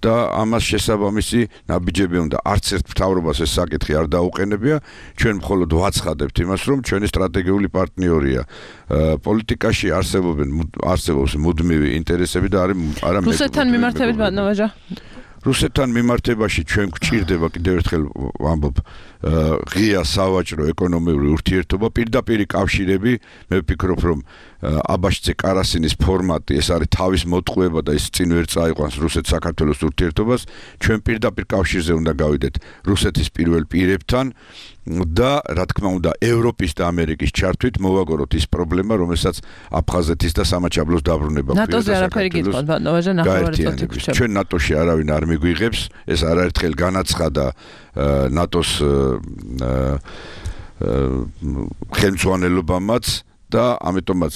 და ამას შესაბამისი ნაბიჯები უნდა. არც ერთ მთავრობას ეს საკითხი არ დაუყენებია, ჩვენ მხოლოდ ვაცხადებთ იმას, რომ ჩვენი სტრატეგიული პარტნიორია. პოლიტიკაში არსებობენ არსებობს მუდმივი ინტერესები და არის არა მე. რუსეთთან მიმართებით ბატონო-ვაჟა? რუსეთთან მიმართებაში ჩვენ გვჭირდება კიდევ ერთხელ ვამბობ ღია სავაჭრო ეკონომიური ურთიერთობა, პირდაპირი კავშირები, მე ვფიქრობ, რომ აბაშძე კარასინის ფორმატი ეს არის თავის მოტყუება და ის წინ ვერ წაიყვანს რუსეთ-საქართველოს ურთიერთობას, ჩვენ პირდაპირ კავშირზე უნდა გავიდეთ რუსეთის პირველ პირებთან და რა თქმა უნდა ევროპის და ამერიკის ჩართვით მოვაგოროთ ის პრობლემა, რომელსაც აფხაზეთის და სამაჩაბლოს დაბრუნება გვიყვება. ნატოზე არაფერი გითხოვთ ბატონო-ვაჟა, ნახევარი წუთი. ჩვენ ნატოში არავინ არ მიგვიღებს, ეს არაერთხელ განაცხადა ნატოს ხელმძღვანელობამაც და ამიტომაც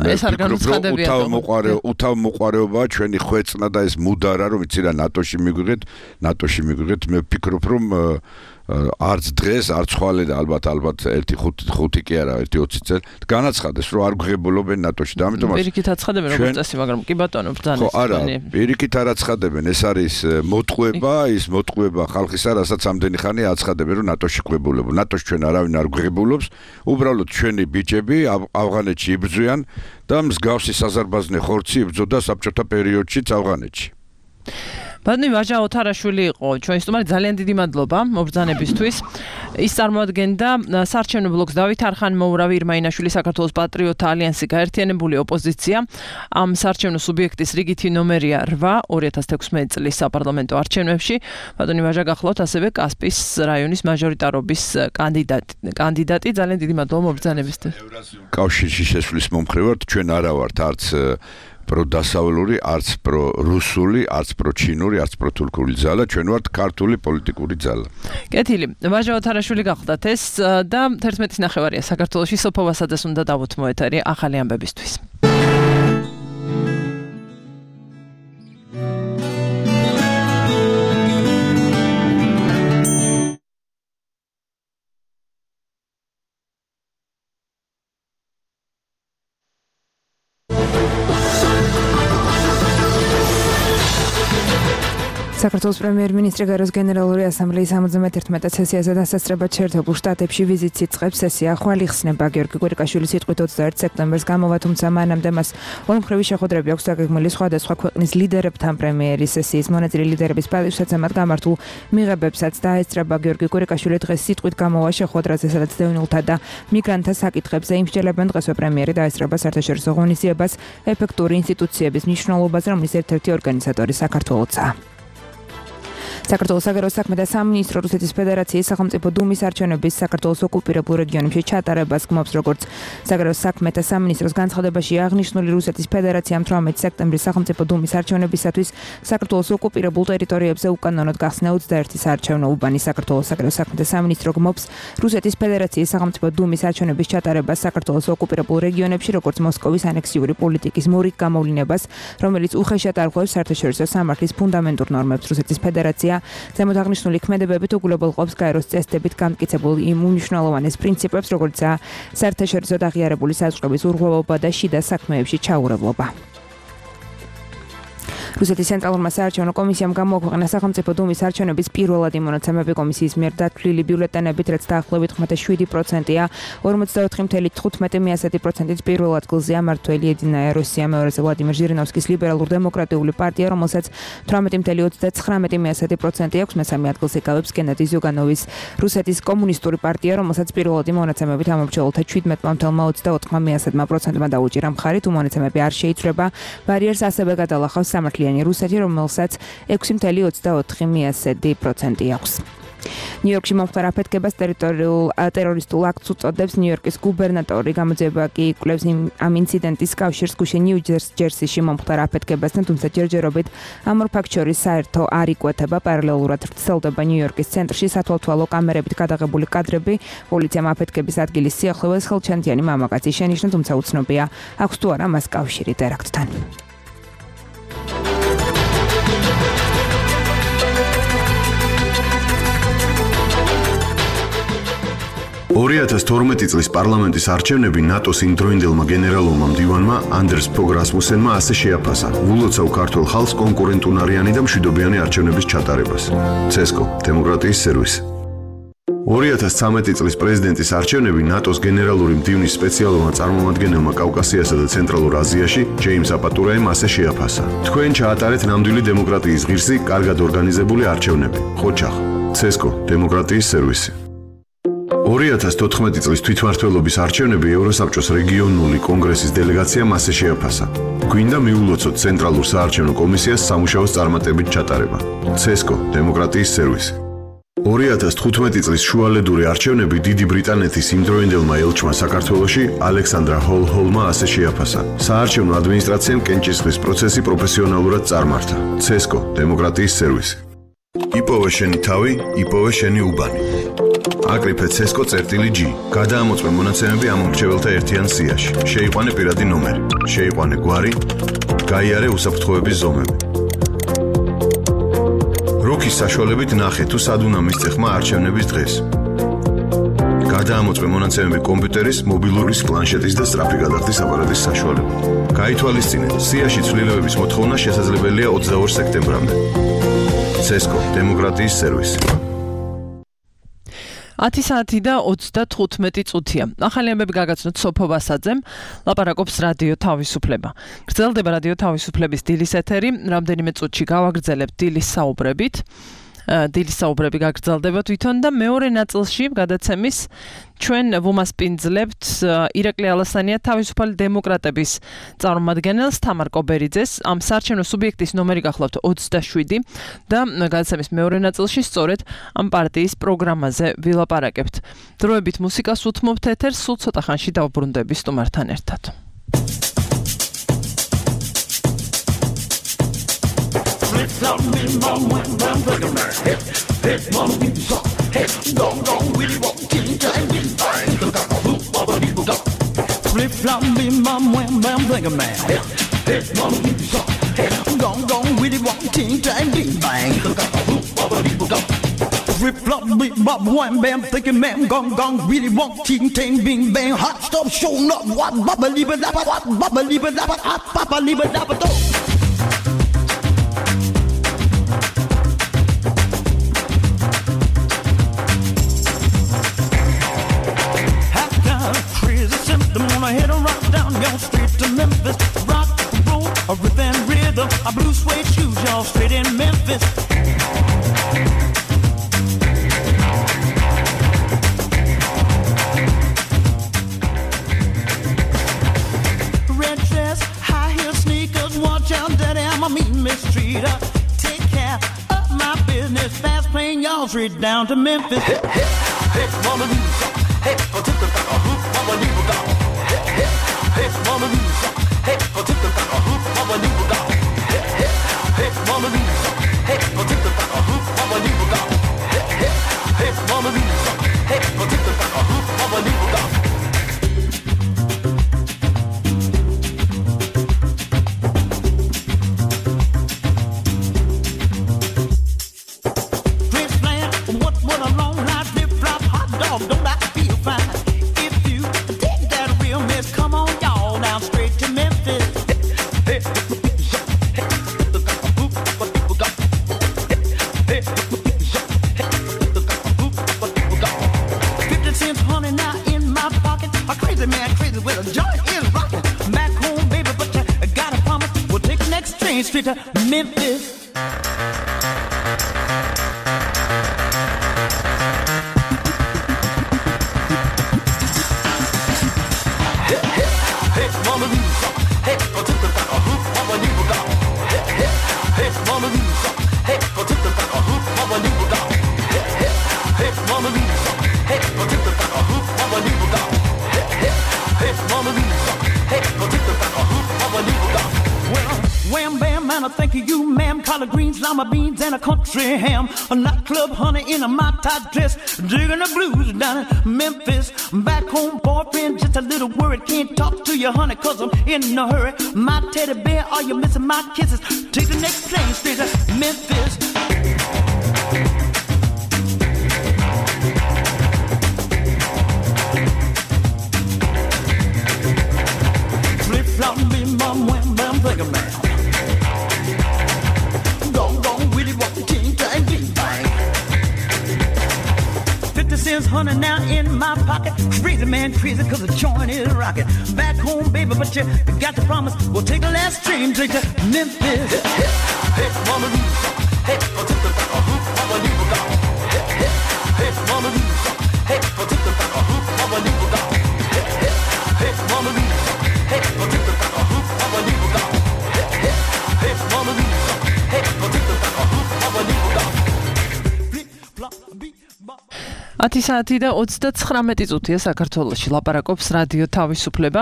მე ვფიქრობ, რომ უთავ მოყარე უთავ მოყარეობაა ჩვენი ხვეწნა და ეს მუდარა, რომ იცი რა ნატოში მიგვიღეთ, ნატოში მიგვიღეთ, მე ვფიქრობ, რომ არც დღეს, არც ხვალე და ალბათ ალბათ ერთი ხუთი კი არა, ერთი ოცი წელი განაცხადეს, რომ არ გვღებულობენ ნატოში და ამიტომაც პირიქით აცხადებენ როგორც წესი, მაგრამ კი ბატონო ბრძანის. ხო, არა, პირიქით არ აცხადებენ, ეს არის მოტყუება, ის მოტყუება ხალხისა, რასაც ამდენი ხანია აცხადებენ, რომ ნატოში გვღებულებო. ნატოში ჩვენ არავინ არ გვღებულობს, უბრალოდ ჩვენი ბიჭები ავღანეთში იბრძვიან და მსგავსი საზარბაზნე ხორცი იბრძოდა საბჭოთა პერიოდშიც ავღანეთში. ბატონი ვაჟა ოთარაშვილი იყო ჩვენი სტუმარი, ძალიან დიდი მადლობა მობრძანებისთვის. ის წარმოადგენდა საარჩევნო ბლოკს დავით არხან-მოურავი, ირმა ინაშვილი, საქართველოს პატრიოტთა ალიანსი, გაერთიანებული ოპოზიცია. ამ საარჩევნო სუბიექტის რიგითი ნომერია რვა ორი ათას თექვსმეტი წლის საპარლამენტო არჩევნებში. ბატონი ვაჟა გახლავთ ასევე კასპიის რაიონის მაჟორიტარობის კანდიდატი. კანდიდატი ძალიან დიდი მადლობა მობრძანებისთვის. კავშირში შესვლის მომხრე ვართ, ჩვენ არა ვართ არც პროდასავლური, არც პრორუსული, არც პროჩინური, არც პროთურქული ძალა, ჩვენ ვართ ქართული პოლიტიკური ძალა. კეთილი, ვაჟა ოთარაშვილი გახლავთ ეს და თერთმეტის ნახევარია საქართველოში, სოფო ვასაძეს უნდა დავუთმო ეთერი ახალი ამბებისთვის. საქართველოს პრემიერ-მინისტრი გაროს გენერალური ასამბლეის ორმოცდამეთერთმეტ სესიაზე დასასწრებად შეერთებულ შტატებში ვიზიტს იწყებს. სესია ხვალ იხსნება. გიორგი კვირიკაშვილის სიტყვით ოცდაერთი სექტემბერს გამოვა, თუმცა მანამდე მას ორმხრივი შეხვედრები აქვს დაგეგმილი სხვადასხვა ქვეყნის ლიდერებთან. პრემიერის სესიის მონაწილე ლიდერების პატივსაცემად გამართულ მიღებებსაც დაესწრება. გიორგი კვირიკაშვილი დღეს სიტყვით გამოვა შეხვედრაზე, სადაც დევნილთა და მიგრანტთა საკითხებზე იმსჯელებენ. დღესვე პრემიერი დაესწრება საერთაშორისო ღონისძიებას ეფექტური ინსტიტუციების მნიშვნელობაზე, რომლის ერთ-ერთი ორგანიზატორი საქართველოა. საქართველოს საგარეო საქმეთა სამინისტრო რუსეთის ფედერაციის სახელმწიფო დუმის არჩევნების საქართველოს ოკუპირებულ რეგიონებში ჩატარებას გმობს, როგორც საგარეო საქმეთა სამინისტროს განცხადებაში აღნიშნული. რუსეთის ფედერაციამ თვრამეტი სექტემბრის სახელმწიფო დუმის არჩევნებისათვის საქართველოს ოკუპირებულ ტერიტორიებზე უკანონოდ გახსნა ოცდაერთი საარჩევნო უბანი. საქართველოს საგარეო საქმეთა სამინისტრო გმობს რუსეთის ფედერაციის სახელმწიფო დუმის არჩევნების ჩატარებას საქართველოს ოკუპირებულ რეგიონებში, როგორც მოსკოვის ანექსიური პოლიტიკის მორიგ გამოვლინებას, რომელიც უხეშად არღვევს საერთაშორისო სამართლის ფუნდამენტურ ნორმებს. რუსეთის ფედერაცია ზემოთ აღნიშნული ქმედებებით უგულებელყოფს გაეროს წესდებით გამტკიცებულ იმ უმნიშვნელოვანეს პრინციპებს, როგორიცაა საერთაშორისო აღიარებული საზღვრების ურღვევობა და შიდა საქმეებში ჩაურევლობა. რუსეთის ცენტრალურმა საარჩევნო კომისიამ გამოაქვეყნა სახელმწიფო დუმის არჩევნების პირველადი მონაცემები. კომისიის მიერ დათვლილი ბიულეტენებით, რაც დაახლოებით ხმათა შვიდი პროცენტია, ორმოცდაოთხი წუთი თხუთმეტი პროცენტით პირველ ადგილზეა მმართველი ედინაია როსია, მეორეზე ვლადიმერ ჟირინოვსკის ლიბერალურ-დემოკრატიული პარტია, რომელსაც თვრამეტი წუთი ოცდაცხრამეტი პროცენტი აქვს. მესამე ადგილს იკავებს გენადი ზიუგანოვის რუსეთის კომუნისტური პარტია, რომელსაც პირველადი მონაცემებით ამომრჩეველთა შვიდმეტ ოცდაოთხ პროცენტმა დაუჭირა მხარი, თუ მონაცემები არ შეიცვლება. ბარიერს ასევე გადალახავს სამართლიანი რუსეთი, რომელსაც ექვსი წუთი ოცდაოთხი პროცენტი აქვს. ნიუ-იორკში მომხდარ აფეთქებას ტერორისტულ აქტს უწოდებს. ნიუ-იორკის გუბერნატორი გამოძიება კი იკვლევს ამ ინციდენტის კავშირს გუშინ ნიუ-ჯერსიში მომხდარ აფეთქებასთან, თუმცა ჯერჯერობით ამ ორ ფაქტს შორის საერთო არ იკვეთება. პარალელურად ვრცელდება ნიუ-იორკის ცენტრში სათვალთვალო კამერებით გადაღებული კადრები. პოლიციამ აფეთქების ადგილის სიახლოვეს ხელჩანთიანი მამაკაცი შენიშნა, თუმცა უცნობია აქვს თუ არა მას კავშირი ტერაქტთან. ორი ათას თორმეტი წლის პარლამენტის არჩევნები ნატოს იმდროინდელმა გენერალურმა მდივანმა ანდერს ფოგ რასმუსენმა ასე შეაფასა. ულოცავ ქართულ ხალხს კონკურენტუნარიანი და მშვიდობიანი არჩევნების ჩატარებას. ცესკო, დემოკრატიის სერვისი. ორი ათას ცხრამეტი წლის პრეზიდენტის არჩევნები ნატოს გენერალური მდივნის სპეციალურმა წარმომადგენელმა კავკასიასა და ცენტრალურ აზიაში, ჯეიმს აპატურაემ ასე შეაფასა. თქვენ ჩაატარეთ ნამდვილი დემოკრატიის ღირსი, კარგად ორგანიზებული არჩევნები. ხოჩახ, ცესკო, დემოკრატიის სერვისი. ორი ათას თოთხმეტი წლის თვითმმართველობის არჩევნები ევროსაბჭოს რეგიონული კონგრესის დელეგაციამ ასე შეაფასა. გვინდა მიულოცოთ ცენტრალურ საარჩევნო კომისიას სამუშაოს წარმატებით ჩატარება. ცესკო, დემოკრატიის სერვისი. ორი ათას თხუთმეტი წლის შუალედური არჩევნები დიდი ბრიტანეთის იმდროინდელმა ელჩმა საქართველოში, ალექსანდრა ჰოლჰოლმა ასე შეაფასა. საარჩევნო ადმინისტრაციამ კენჭისყრის პროცესი პროფესიონალურად წარმართა. ცესკო, დემოკრატიის სერვისი. იპოვე შენი თავი, იპოვე შენი უბანი. აკრიფე ცესკო წერტილი G. გადაამოწმე მონაცემები ამ მრჩეველთა ერთიან სიაში. შეიყვანე პირადი ნომერი. შეიყვანე გვარი. გაიარე უსაფრთხოების ზომები. როქის საშუალებით ნახე თუ სად უნდა მისცე ხმა არჩევნების დღეს. გადაამოწმე მონაცემები კომპიუტერის, მობილურის, პლანშეტის და სწრაფი გადახდის აპარატის საშუალებით. გაითვალისწინე, სიაში ცვლილებების მოთხოვნა შესაძლებელია ოცდაორ სექტემბრამდე. ცესკო, დემოკრატიის სერვისი. ათი საათი და ოცდათხუთმეტი წუთია. ახალი ამბები გაგაცნოთ სოფო ვასაძემ, ლაპარაკობს რადიო თავისუფლება. გრძელდება რადიო თავისუფლების დილის ეთერი, რამდენიმე წუთში გავაგრძელებთ დილის საუბრებით. დილის საუბრები გაგრძელდება თვითონ და მეორე ნაწილში გადაცემის ჩვენ ვუმასპინძლებთ ირაკლი ალასანია თავისუფალი დემოკრატების წარმომადგენელს თამარ კობერიძეს. ამ საარჩევნო სუბიექტის ნომერი გახლავთ ოცდაშვიდი და გადაცემის მეორე ნაწილში სწორედ ამ პარტიის პროგრამაზე ვილაპარაკებთ. დროებით მუსიკას უთმობთ ეთერს, სულ ცოტა ხანში დავბრუნდები სტუმართან ერთად. Flip-flop, bim-bom, wham-bam, bam-bam, hip, hip, mama, we suck, hip, gong, gong, willy, wonk, ting, tang, bing, bang, hoop, baba, dee, boo, flip-flop, bim-bom, wham-bam, bam-bam, hip, hip, mama, we suck, hip, gong, gong, willy, wonk, ting, tang, bing, bang, hoop, baba, dee, boo, flip-flop, bim-bom, wham-bam, thinking, man, gong, gong, willy, wonk, ting, tang, bing, bang, hot stuff, showing up, what, baba, liba, daba, what, baba, liba, daba, hot, papa, liba, daba, do. Hit a rock down your street to Memphis. Rock, roll, a rhythm, rhythm. A blue suede shoes, y'all straight in Memphis. Red dress, high heel sneakers. Watch out, daddy, I'm a mean mistreater. Take care of my business. Fast plane, y'all straight down to Memphis. Hip, hip, hip, mama, hip, hip, hoop, mama, Hey, mama Lisa, hey, I'll take the back a hoop, mama leave down. Hey, hey, hey, mama Lisa, hey, I'll take the back a hoop, mama leave down. Hey, hey, hey, mama Lisa, hey, I'll take the back a hoop, mama leave down. Prince Plan, what what a long life, flip flop, hot dog, don't I feel fine? If you dig that real mess, come on. Straight to Memphis. Hey, hey, hey, fifty cents, honey, now in my pocket. A crazy man, crazy with a joint is rocking. Back home, baby, but you gotta promise we'll take the next train straight to Memphis. I think of you, ma'am, collard greens, lima beans, and a country ham. A nightclub honey in a my-tie dress, digging the blues down in Memphis. Back home, boyfriend, just a little worried. Can't talk to you, honey, cause I'm in a hurry. My teddy bear, are you missing my kisses? Take the next plane straight to Memphis. Flip-flop, bim-bom, wham-bam, think of man. Honey, now in my pocket. Crazy man, crazy cause the joint is rocking. Back home, baby, but you got to promise we'll take the last train straight to Memphis. Hey, hey, hey, mama Lisa. Hey, I'll take the back a hoop, mama leave it down. Hey, hey, hey, mama Lisa. Hey, I'll take the back a hoop, mama leave it down. Hey, hey, hey, mama Lisa. Hey, I'll take the back a hoop, mama leave it down. Hey, hey, hey, mama Lisa. Hey, I'll take the back a hoop, mama leave it down. Flip, flop, beat, bop. ათი საათი და ოცდაცხრამეტი წუთია საქართველოში ლაპარაკობს რადიო თავისუფლება.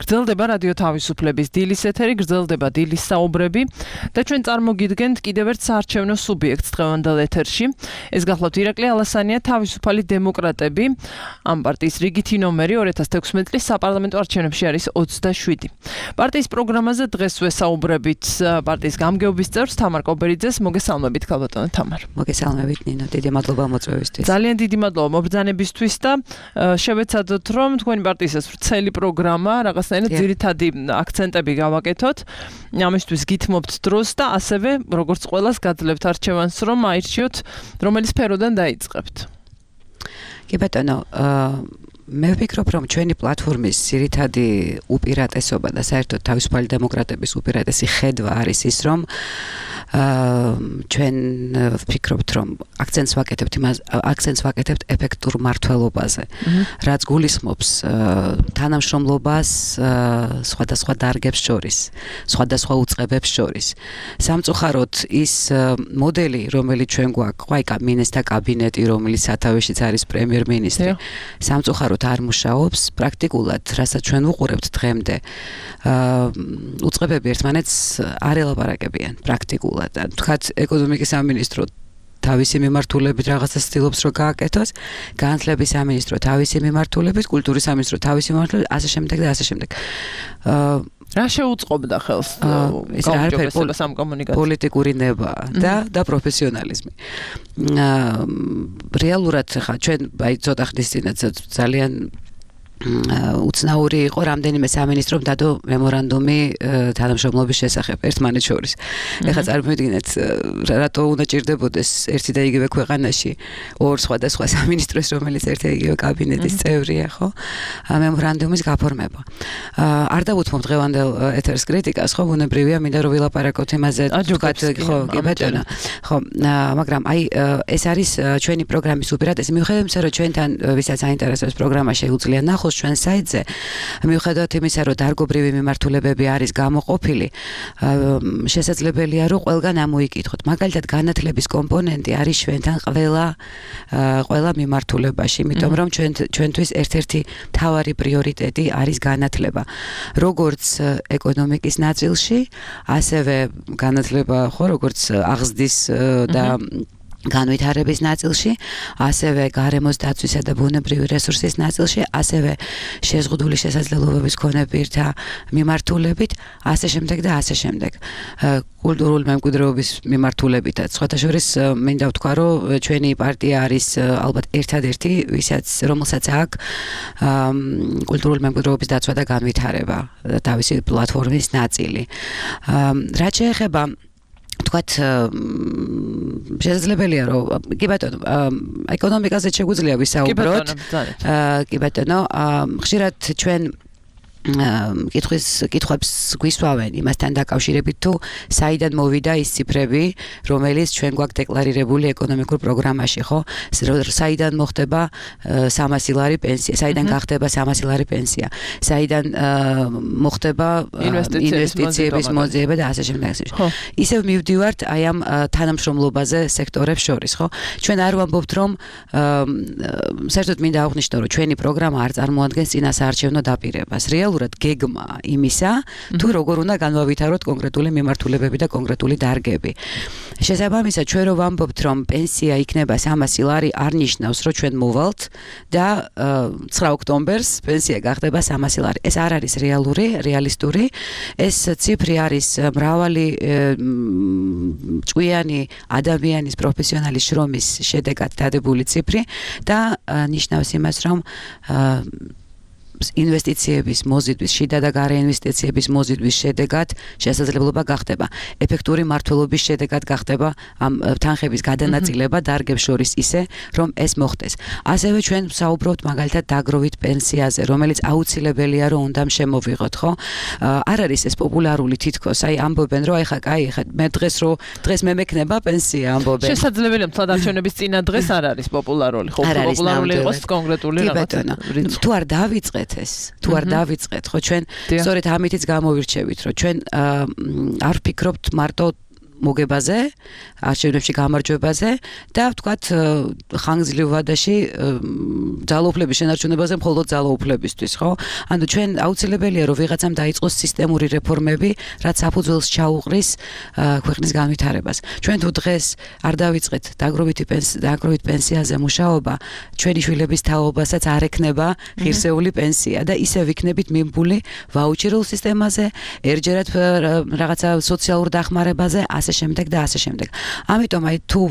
გრძელდება რადიო თავისუფლების დილის ეთერი, გრძელდება დილის საუბრები და ჩვენ წარმოგიდგენთ კიდევ ერთ საარჩევნო სუბიექტს დღევანდელ ეთერში. ეს გახლავთ ირაკლი ალასანია, თავისუფალი დემოკრატები. ამ პარტიის რიგითი ნომერი ორი ათას თექვსმეტი წლის საპარლამენტო არჩევნებში არის ოცდაშვიდი. პარტიის პროგრამაზე დღეს ვესაუბრებით პარტიის გამგეობის წევრს თამარ კობერიძეს. მოგესალმებით ქალბატონო თამარ. მოგესალმებით ნინო, დიდი მადლობა მოწვევისთვის. ძალიან დიდი მადლობა მობრძანებისთვის და შევეცადოთ რომ თქვენი პარტიის ეს ვრცელი პროგრამა რაღაცნაირად ძირითადი აქცენტები გავაკეთოთ. ამისთვის გითმობთ დროს და ასევე როგორც ყველას გაძლევთ არჩევანს რომ აირჩიოთ რომელი სფეროდან დაიწყებთ. კი ბატონო, მე ვფიქრობ რომ ჩვენი პლატფორმის ძირითადი უპირატესობა და საერთოდ თავისუფალი დემოკრატების უპირატესი ხედვა არის ის რომ ჩვენ ვფიქრობთ რომ აქცენტს ვაკეთებთ იმას აქცენტს ვაკეთებთ ეფექტურ მართლობაზე, რაც გულისხმობს თანამშრომლობას სხვადასხვა დარგებს შორის, სხვადასხვა უწყებებს შორის. სამწუხაროდ ის მოდელი, რომელიც ჩვენ გვაქვს, ყაიკა მინისტრთა კაბინეტი, რომელიც სათავეშიც არის პრემიერ-მინისტრი, სამწუხაროდ არ მუშაობს პრაქტიკულად, რასაც ჩვენ ვუყურებთ დღემდე. უწყებები ერთმანეთს არ ელაპარაკებიან პრაქტიკულად. თქვათ ეკონომიკის სამინისტრო თავისი მიმართულებით რაღაცას ცდილობს რომ გააკეთოს, განათლების სამინისტრო თავისი მიმართულებით, კულტურის სამინისტრო თავისი მიმართულებით, ასე შემდეგ და ასე შემდეგ. რა შეუწყობდა ხელს ეს არაფერი ამ კომუნიკაციას? პოლიტიკური ნება და და პროფესიონალიზმი. რეალურად ხა ჩვენ აი ცოტა ხნის წინაც ძალიან უცნაური იყო რამდენიმე სამინისტრომ დადო მემორანდუმი თანამშრომლობის შესახებ ერთმანეთს შორის. ეხლა წარმოვიდგინეთ რატო უნდა ჭირდებოდეს ერთი და იგივე ქვეყანაში ორ სხვადასხვა სამინისტროს, რომელიც ერთი და იგივე კაბინეტის წევრია, ხო? მემორანდუმის გაფორმება. არ დავუთმობ დღევანდელ ეთერს კრიტიკას, ხო, ბუნებრივია, მინდა რომ ვილაპარაკოთ იმაზე, თქვათ, ხო, კი ბატონო. ხო, მაგრამ აი ეს არის ჩვენი პროგრამის უპირატესი. მიუხედავად იმისა, რომ ჩვენთან ვისაც აინტერესებს პროგრამა შეუძლია ნახოს ჩვენ საიტზე, მიუხედავად იმისა, რომ დარგობრივი მიმართულებები არის გამოყოფილი, შესაძლებელია რომ ყველგან ამოიკითხოთ. მაგალითად, განათლების კომპონენტი არის ჩვენთან ყველა ყველა მიმართულებაში, იმიტომ რომ ჩვენ ჩვენთვის ერთ-ერთი მთავარი პრიორიტეტი არის განათლება. როგორც ეკონომიკის ნაწილში, ასევე განათლება, ხო, როგორც აღზრდის და განვითარების ნაწილში, ასევე გარემოს დაცვისა და ბუნებრივი რესურსის ნაწილში, ასევე შეზღუდული შესაძლებლობების მქონე პირთა მიმართულებით, ასე შემდეგ და ასე შემდეგ. კულტურული მემკვიდრეობის მიმართულებითაც. სხვათა შორის მინდა ვთქვა, რომ ჩვენი პარტია არის ალბათ ერთადერთი, ვისაც რომელსაც აქვს კულტურული მემკვიდრეობის დაცვა და განვითარება თავისი პლატფორმის ნაწილი. რაც შეეხება თქვათ შესაძლებელია რომ კი ბატონო ეკონომიკაზე შეგვიძლია ვისაუბროთ. კი ბატონო, ხშირად ჩვენ კითხვის კითხვებს გვისვავენ იმასთან დაკავშირებით თუ საიდან მოვიდა ის ციფრები, რომელიც ჩვენ გვაქვს დეკლარირებული ეკონომიკურ პროგრამაში, ხო? საიდან მოხდება სამასი ლარი პენსია, საიდან გახდება სამასი ლარი პენსია, საიდან მოხდება ინვესტიციების მოძიება და ასე შემდეგ. ისევ მივდივართ აი ამ თანამშრომლობაზე სექტორებს შორის, ხო? ჩვენ არ ვამბობთ რომ საერთოდ მინდა აღვნიშნო რომ ჩვენი პროგრამა არ წარმოადგენს წინასაარჩევნო დაპირებას. რეალურად გეგმა იმისა, თუ როგორ უნდა განვავითაროთ კონკრეტული მიმართულებები და კონკრეტული დარგები. შესაბამისად, ჩვენ რო ვამბობთ, რომ პენსია იქნება სამასი ლარი, არ ნიშნავს, რომ ჩვენ მოვალთ და ცხრა ოქტომბერს პენსია გახდება სამასი ლარი. ეს არ არის რეალური, რეალისტური. ეს ციფრი არის მრავალი ჭკვიანი ადამიანის პროფესიონალის შრომის შედეგად დადებული ციფრი და ნიშნავს იმას, რომ ინვესტიციების მოზიდვის, შიდა და გარე ინვესტიციების მოზიდვის შედეგად შესაძლებლობა გახდება. ეფექტური მართლობის შედეგად გახდება ამ თანხების გადანაწილება დარგებს შორის ისე, რომ ეს მოხდეს. ასევე ჩვენ ვსაუბრობთ მაგალითად დაგროვით პენსიაზე, რომელიც აუცილებელია რომ უნდა შემოვიღოთ, ხო? არ არის ეს პოპულარული თითქოს, აი ამბობენ რომ აი ხა, კაი, ხა მე დღეს რო დღეს მე მექნება პენსია ამბობენ. შესაძლებელია თვალდარჩენების წინა დღეს არ არის პოპულარული, ხო? პოპულარული იყოს კონკრეტული რაღაცა. თუ არ დავიწყეთ ეს, თუ არ დავიწყეთ, ხო ჩვენ სწორედ ამითიც გამოვირჩევით, რომ ჩვენ არ ვფიქრობთ მარტო მოგებაზე, არჩევნებში გამარჯვებაზე და ვთქვათ ხანგრძლივ ვადაში ძალაუფლების შენარჩუნებაზე მხოლოდ ძალაუფლებისთვის, ხო? ანუ ჩვენ აუცილებელია რომ ვიღაცამ დაიწყოს სისტემური რეფორმები, რაც საფუძველს ჩაუყრის ქვეყნის განვითარებას. ჩვენ თუ დღეს არ დავიწყეთ დაგროვითი დაგროვით პენსიაზე მუშაობა, ჩვენი შვილების თაობასაც არ ექნება ღირსეული პენსია და ისევ იქნებით მიმბული ვაუჩერულ სისტემაზე, ერჯერად რაღაცა სოციალურ დახმარებაზე, ასე შემდეგ და ასე შემდეგ. ამიტომ აი თუ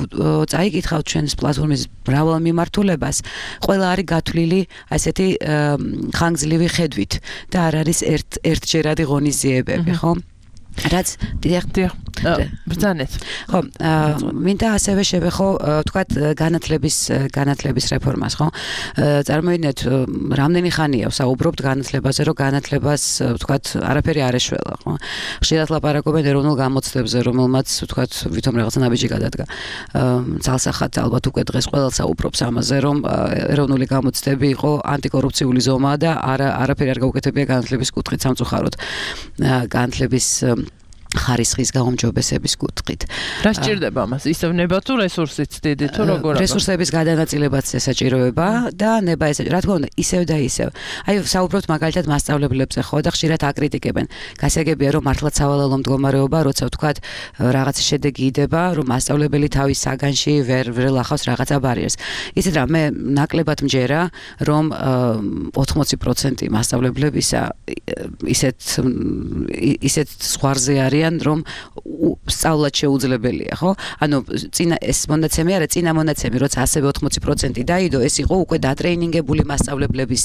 წაიკითხავთ ჩვენს პლატფორმის მრავალ მიმართულებას, ყველა არის გათვლილი ასეთი ხანგრძლივი ხედვით და არ არის ერთ ერთჯერადი ღონისძიებები, ხო? რაც დიახ დიახ ბრძანეთ ხო მინდა ასევე შევეხო თქვათ განათლების განათლების რეფორმას ხო წარმოიდგინეთ რამდენი ხანია ვსაუბრობთ განათლებაზე რომ განათლებას თქვათ არაფერი არ ეშველა ხო ხშირად ლაპარაკობენ ეროვნულ გამოცდებზე რომელმაც თქვათ ვითომ რაღაცა ნაბიჯი გადადგა ძალსახად ალბათ უკვე დღეს ყველას საუბრობს ამაზე რომ ეროვნული გამოცდები იყო ანტიკორუფციული ზომა და არა არაფერი არ გაუკეთებია განათლების კუთხით სამწუხაროდ განათლების ხარისხის გაუმჯობესების კუთხით. რა სჭირდება ამას? ისევ ნება თუ რესურსიც დიდი თუ როგორ? რესურსების გადანაწილებაც ესაჭიროება და ნება ესე რა თქმა უნდა ისევ და ისევ. აი საუბრობთ მაგალითად მასწავლებლებზე ხო და ხშირად აკრიტიკებენ. გასაგებია რომ მართლაც სავალალო მდგომარეობა, როცა ვთქვათ რაღაცა შედეგი იდება, რომ მასწავლებელი თავის საგანში ვერ ვერ ლახავს რაღაცა ბარიერს. იცით რა მე ნაკლებად მჯერა რომ ოთხმოცი პროცენტი მასწავლებლებისა ისეთ ისეთ ზღვარზე არის რომ სწავლაც შეუძლებელია, ხო? ანუ წინა ეს მონაცემი არა, წინა მონაცემი, როცა ასევე ოთხმოცი პროცენტი დაიდო, ეს იყო უკვე დატრეინინგებული მასწავლებლების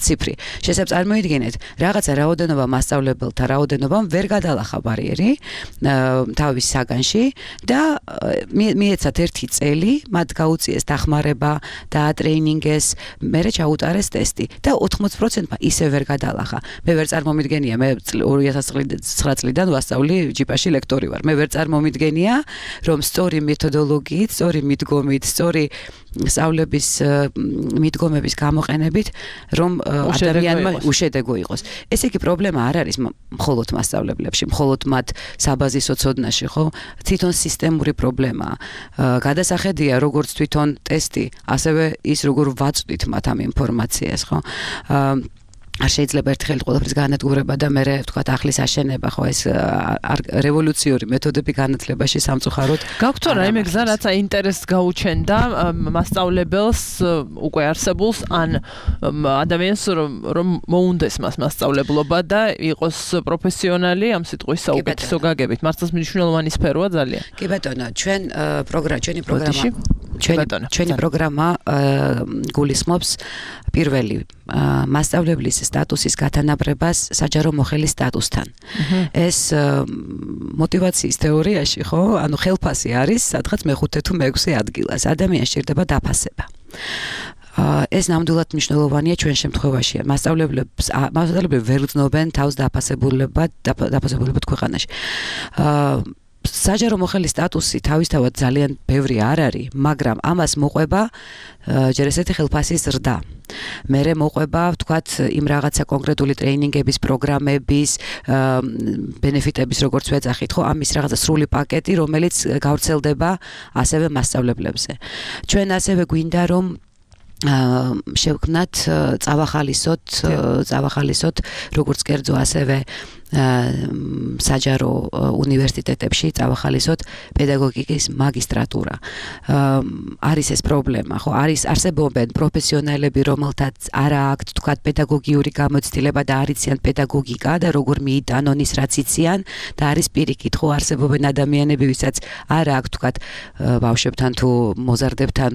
ციფრი. შესაძლოა წარმოიდგინეთ, რაღაცა რაოდენობა მასწავლებელთა რაოდენობამ ვერ გადალახა ბარიერი თავის საგანში და მიეცათ ერთი წელი, მათ გაუწიეს დახმარება, დაატრეინინგეს, მერე ჩაუტარეს ტესტი და ოთხმოცი პროცენტმა ისე ვერ გადალახა. მე ვერ წარმომიდგენია, მე ორი ათას ცხრა წლიდან ვასწავლი ჯიპაში ლექტორი ვარ. მე ვერ წარმომიდგენია, რომ სწორი მეთოდოლოგიით, სწორი მიდგომით, სწორი სწავლების მიდგომების გამოყენებით, რომ ადამიანმა უშედეგო იყოს. ეს იგი პრობლემა არ არის მხოლოდ მასწავლებლებში, მხოლოდ მათ საბაზისო ცოდნაში, ხო? თვითონ სისტემური პრობლემაა. გადასახედია როგორც თვითონ ტესტი, ასევე ის როგორ ვაწვდით მათ ამ ინფორმაციას, ხო? არ შეიძლება ერთხელ ყველაფრის განადგურება და მე ვთქვათ ახლის აშენება ხო ეს რევოლუციური მეთოდები განათლებაში სამწუხაროდ გაქვთ რა იმ გზა რაც ინტერესს გაუჩენდა მასწავლებელს უკვე არსებულს ან ადამიანს რომ მოუნდეს მას მასწავლებლობა და იყოს პროფესიონალი ამ სიტყვის საუკეთესო გაგებით მართლაც მნიშვნელოვანი სფეროა ძალიან კი ბატონო ჩვენ პროგრამა ჩვენი პროგრამა ჩვენი ჩვენი პროგრამა გულისხმობს პირველი მასწავლებლის სტატუსის გათანაბრებას საჯარო მოხელის სტატუსთან. ეს мотиваციის თეორიაში, ხო? ანუ ხელფასი არის სადღაც მეხუთე თუ მეექვსე ადგილას. ადამიანს სჭირდება დაფასება. ეს ნამდვილად მნიშვნელოვანია ჩვენ შემთხვევაში. მასწავლებლებს მასწავლებლები ვერ გრძნობენ თავს დაფასებულებად დაფასებულებად ქვეყანაში. საჯარო მოხელის სტატუსი თავისთავად ძალიან ბევრი არ არის, მაგრამ ამას მოყვება ჯერ ესეთი ხელფასის ზრდა. მერე მოყვება, ვთქვათ, იმ რაღაცა კონკრეტული ტრეინინგების, პროგრამების, ბენეფიტების, როგორც ვეძახით, ხო, ამის რაღაცა სრული პაკეტი, რომელიც გავრცელდება ასევე მასწავლებლებზე. ჩვენ ასევე გვინდა რომ შევქმნათ წავახალისოთ, წავახალისოთ, როგორც კერძო ასევე საჯარო უნივერსიტეტებში წავახალისოთ პედაგოგიკის მაგისტრატურა. არის ეს პრობლემა, ხო? არის არსებობენ პროფესიონალები, რომელთაც არ აქვთ, თქვათ, პედაგოგიური გამოცდილება და არიციან პედაგოგიკა და როგორ მიიტანონ ის, რაც იციან და არის პირიქით, ხო, არსებობენ ადამიანები, ვისაც არ აქვთ, თქვათ, ბავშვებთან თუ მოზარდებთან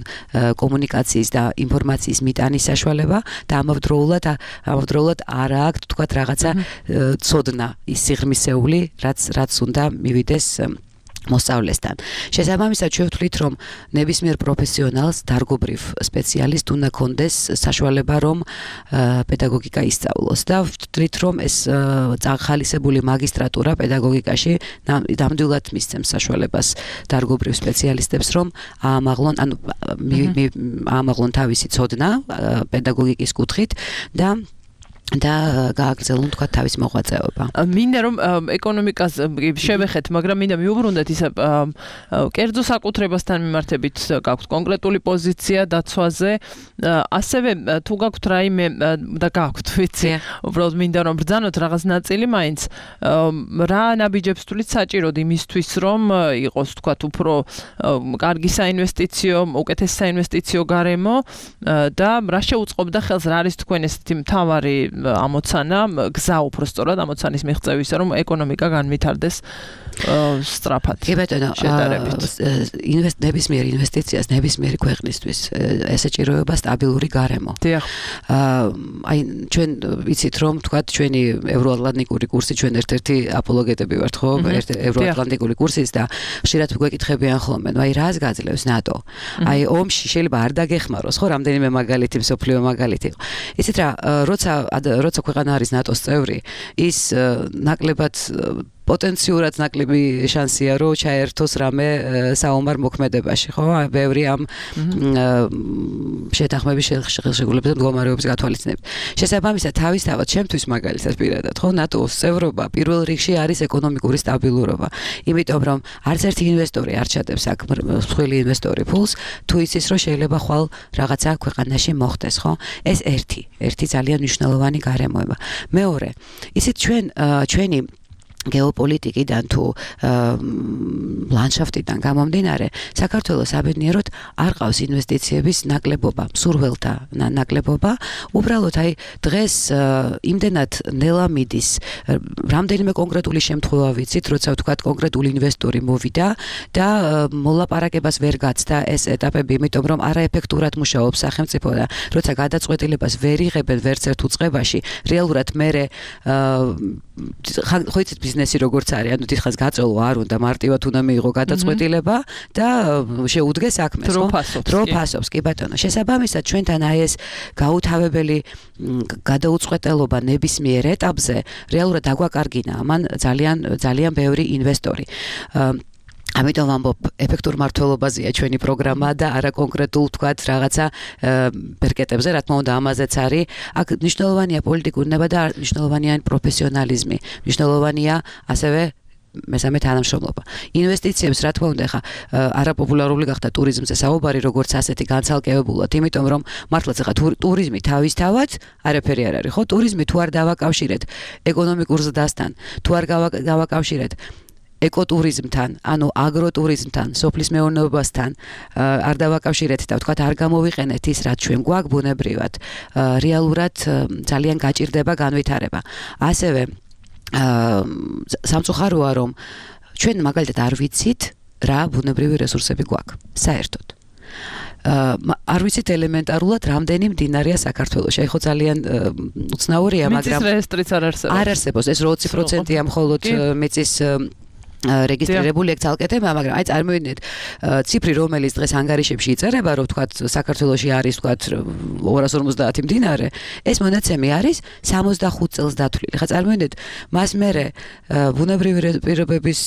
კომუნიკაციის და ინფორმაციის მიტანის საშუალება და ამავდროულად ამავდროულად არ აქვთ, თქვათ, რაღაცა ცოდნა ის სიღრმისეული, რაც რაც უნდა მივიდეს მოსწავლესთან. შესაბამისად შევთვლით, რომ ნებისმიერ პროფესიონალს, დარგობრივ სპეციალისტ უნდა კონდეს საშუალება, რომ პედაგოგიკა ისწავლოს და ვთვლით, რომ ეს წახალისებული მაგისტრატურა პედაგოგიკაში ნამდვილად მისცემს საშუალებას დარგობრივ სპეციალისტებს, რომ აამაღლონ, ანუ აამაღლონ თავისი ცოდნა პედაგოგიკის კუთხით და და გააგრძელონ თქვა თავის მოღვაწეობა. მინდა რომ ეკონომიკას შევეხეთ, მაგრამ მინდა მიუბრუნდეთ ისე კერძო საკუთრებასთან მიმართებით გაქვთ კონკრეტული პოზიცია დაცვაზე, ასევე თუ გაქვთ რაიმე და გაქვთ, ვიცი, უბრალოდ მინდა რომ ბრძანოთ რაღაც ნაწილი მაინც, რა ნაბიჯებს თulit საჭიროდ იმისთვის რომ იყოს თქვა უფრო კარგი საინვესტიციო, უკეთესი საინვესტიციო გარემო და რა შეუწყობდა ხელს, რა არის თქვენ ესეთი მთავარი ამოცანა, გზა უფრო სწორად ამოცანის მიღწევისა, რომ ეკონომიკა განვითარდეს სწრაფად. კი ბატონო, ნებისმიერ ინვესტიციას ნებისმიერი ქვეყნისთვის ესაჭიროება სტაბილური გარემო. დიახ. აი ჩვენ ვიცით რომ თქვათ ჩვენი ევროატლანტიკური კურსი ჩვენ ერთ-ერთი აპოლოგეტები ვართ ხო? ევროატლანტიკური კურსის და ხშირად გვეკითხებიან ხოლმე, აი რას გაძლევს ნატო? აი ომში შეიძლება არ დაგეხმაროს ხო რამდენიმე მაგალითი, მსოფლიო მაგალითი. იცით რა, როცა როცა ქვეყანა არის ნატოს წევრი, ის ნაკლებად პოტენციურად ნაკლები შანსია რომ ჩაერთოს რამე საომარ მოქმედებაში, ხო? ბევრი ამ შეთანხმების შეგულებებზე მდგომარეობის გათვალისწინებით. შესაბამისად, თავისთავად ჩემთვის მაგალითად პირადად, ხო, ნატოს წევრობა პირველ რიგში არის ეკონომიკური სტაბილურობა. იმიტომ რომ არც ერთი ინვესტორი არ ჩადებს აქ მსხვილი ინვესტორი ფულს, თუ იცის რომ შეიძლება ხვალ რაღაცა ქვეყანაში მოხდეს, ხო? ეს ერთი, ერთი ძალიან მნიშვნელოვანი გარემოება. მეორე, ისიც ჩვენ ჩვენი გეოპოლიტიკიდან თუ ლანდშაფტიდან გამომდინარე, საქართველოს საბედნიეროდ არ ყავს ინვესტიციების ნაკლებობა, მსურველთა ნაკლებობა. უბრალოდ აი დღეს იმდენად ნელა მიდის, რამდენიმე კონკრეტული შემთხვევა ვიცით, როცა ვთქვათ კონკრეტული ინვესტორი მოვიდა და მოლაპარაკებას ვერ გაცდა ეს ეტაპები, იმიტომ რომ არაეფექტურად მუშაობს სახელმწიფო და როცა გადაწყვეტილებას ვერ იღებენ ვერც ერთ უწყებაში, რეალურად მერე ხო იცით ბიზნესი როგორც არის, ანუ დიდხანს გაწოლო არ უნდა, მარტივად უნდა მიიღო გადაწყვეტილება და შეუდგეს საქმეს, ხო? დრო ფასობს, კი ბატონო. შესაბამისად, ჩვენთან აი ეს გაუთავებელი გადაუწყვეტელობა ნებისმიერ ეტაპზე რეალურად დაგვაკარგინა ამან ძალიან ძალიან ბევრი ინვესტორი. ამიტომ ამბობ, ეფექტურ მართლობაზეა ჩვენი პროგრამა და არა კონკრეტულ თქვათ რაღაცა ბერკეტებზე, რა თქმა უნდა, ამაზეც არის. აქ მნიშვნელოვანია პოლიტიკური ნება და მნიშვნელოვანია პროფესიონალიზმი. მნიშვნელოვანია ასევე მესამე თანამშრომლობა. ინვესტიციებს რა თქმა უნდა, ხა არაპოპულარული გახდა ტურიზმზე საუბარი, როგორც ასეთი განცალკევებულად, იმიტომ რომ მართლაც ხა ტურიზმი თავისთავად არაფერი არ არის, ხო? ტურიზმი თუ არ დავაკავშირეთ ეკონომიკურ ზრდასთან, თუ არ გავაკავშირეთ ეკოტურიზმთან, ანუ აგროტურიზმთან, სოფლის მეურნეობასთან არ დავაკავშირეთ და ვთქვათ არ გამოვიყენეთ ის, რაც ჩვენ გვაქვს ბუნებრივად, რეალურად ძალიან გაჭირდება განვითარება. ასევე სამწუხაროა, რომ ჩვენ მაგალითად არ ვიცით, რა ბუნებრივი რესურსები გვაქვს, საერთოდ. არ ვიცით ელემენტარულად რამდენი მდინარეა საქართველოში. აი ხო ძალიან უცნაურია, მაგრამ მიწის რეესტრიც არ არსებობს. არ არსებობს, ეს ოცი პროცენტია მხოლოდ მიწის რეგისტრირებული ეგ ძალკეთება, მაგრამ აი წარმოვიდგინეთ ციფრი, რომელიც დღეს ანგარიშებში იწერება, რომ თქვათ საქართველოში არის თქვათ ორას ორმოცდაათი მდინარე, ეს მონაცემი არის სამოცდახუთ წელს დათვლილი. ხა წარმოვიდგინეთ, მას მერე ბუნებრივი პირობების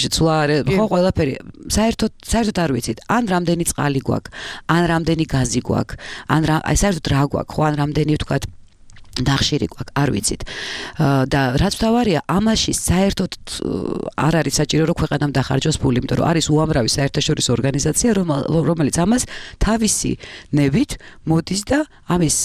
შეცვლა ხო ყველაფერი საერთოდ საერთოდ არ ვიცით, ან რამდენი წყალი გვაქვს, ან რამდენი გაზი გვაქვს, ან აი საერთოდ რა გვაქვს, ხო ან რამდენი თქვათ დახშირი გვაქვს, არ ვიცით. და რაც მთავარია, ამაში საერთოდ არ არის საჭირო რომ ქვეყანამ დახარჯოს ფული, იმიტომ რომ არის უამრავი საერთაშორისო ორგანიზაცია, რომელიც ამას თავისი ნებით მოდის და ამის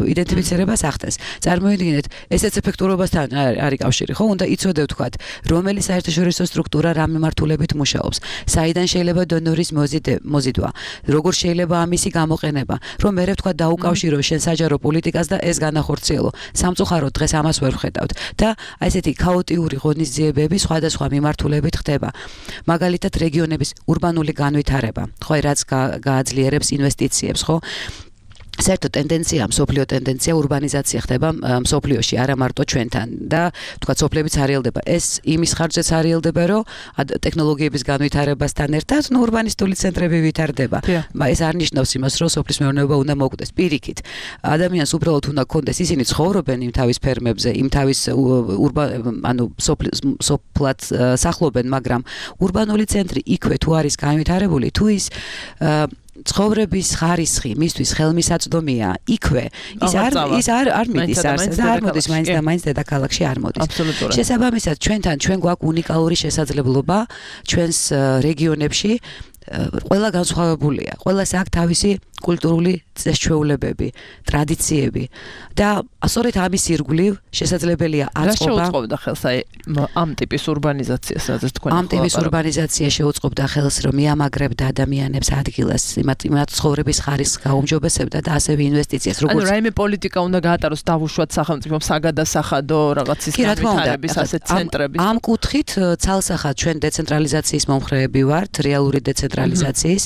იდენტიფიცირებას ახდენს. წარმოვიდგინეთ, ესეც ეფექტურობასთან არის კავშირი, ხო? უნდა იცოდე ვთქვათ, რომელი საერთაშორისო სტრუქტურა რა მიმართულებით მუშაობს, საიდან შეიძლება დონორის მოზიდვა, როგორ შეიძლება ამისი გამოყენება, რომ მე ვთქვათ დაუკავშირო შენ საჯარო პოლიტიკას და ეს განახორციელო. სამწუხაროდ დღეს ამას ვერ ვხედავთ და აი ესეთი ქაოტიური ღონისძიებები სხვადასხვა მიმართულებით ხდება. მაგალითად რეგიონების урბანული განვითარება, ხო, რაც გააძლიერებს ინვესტიციებს, ხო? საერთო ტენდენცია, მსოფლიო ტენდენცია урბანიზაცია ხდება მსოფლიოში, არა მარტო ჩვენთან და თქვა სოფლებიც არიელდება. ეს იმის ხარჯზეც არიელდება, რომ ტექნოლოგიების განვითარებასთან ერთად ნუ урბანისტული ცენტრები ვითარდება. ეს არ ნიშნავს იმას, რომ სოფლის მეურნეობა უნდა მოკვდეს. პირიქით, ადამიანს უბრალოდ უნდა კონდეს, ისინი ცხოვრობენ იმ თავის ფერმებზე, იმ თავის ანუ სოფლად სახლობენ, მაგრამ урბანული ცენტრი იქვე თუ არის განვითარებული, თუ ის ცხოვრების ხარისხი მისთვის ხელმისაწვდომია იქვე ის არ ის არ არ მიდის არს და არ მოდის მაინც და მაინც დედაქალაქში არ მოდის შესაბამისად ჩვენთან ჩვენ გვაქვს უნიკალური შესაძლებლობა ჩვენს რეგიონებში ყველა განსხვავებულია ყველას აქვს თავისი კულტურული წესჩვეულებები ტრადიციები და სწორედ ამის ირგვლივ შესაძლებელია აწყობა რა შეუწყობდა ხელს აი ამ ტიპის ურბანიზაციას რაც თქვენ ამ ტიპის ურბანიზაცია შეუწყობდა ხელს რომ მიამაგრებდა ადამიანებს ადგილას იმათ იმათ ცხოვრების ხარისხს გაუმჯობესებდა და ასევე ინვესტიციას როგორც ანუ რაიმე პოლიტიკა უნდა გაატაროს დავუშვათ სახელმწიფომ საგადასახადო რაღაცის განვითარების ასეთ ცენტრები ამ კუთხით ცალსახად ჩვენ დეცენტრალიზაციის მომხრეები ვართ რეალური დეცენტრალიზაციის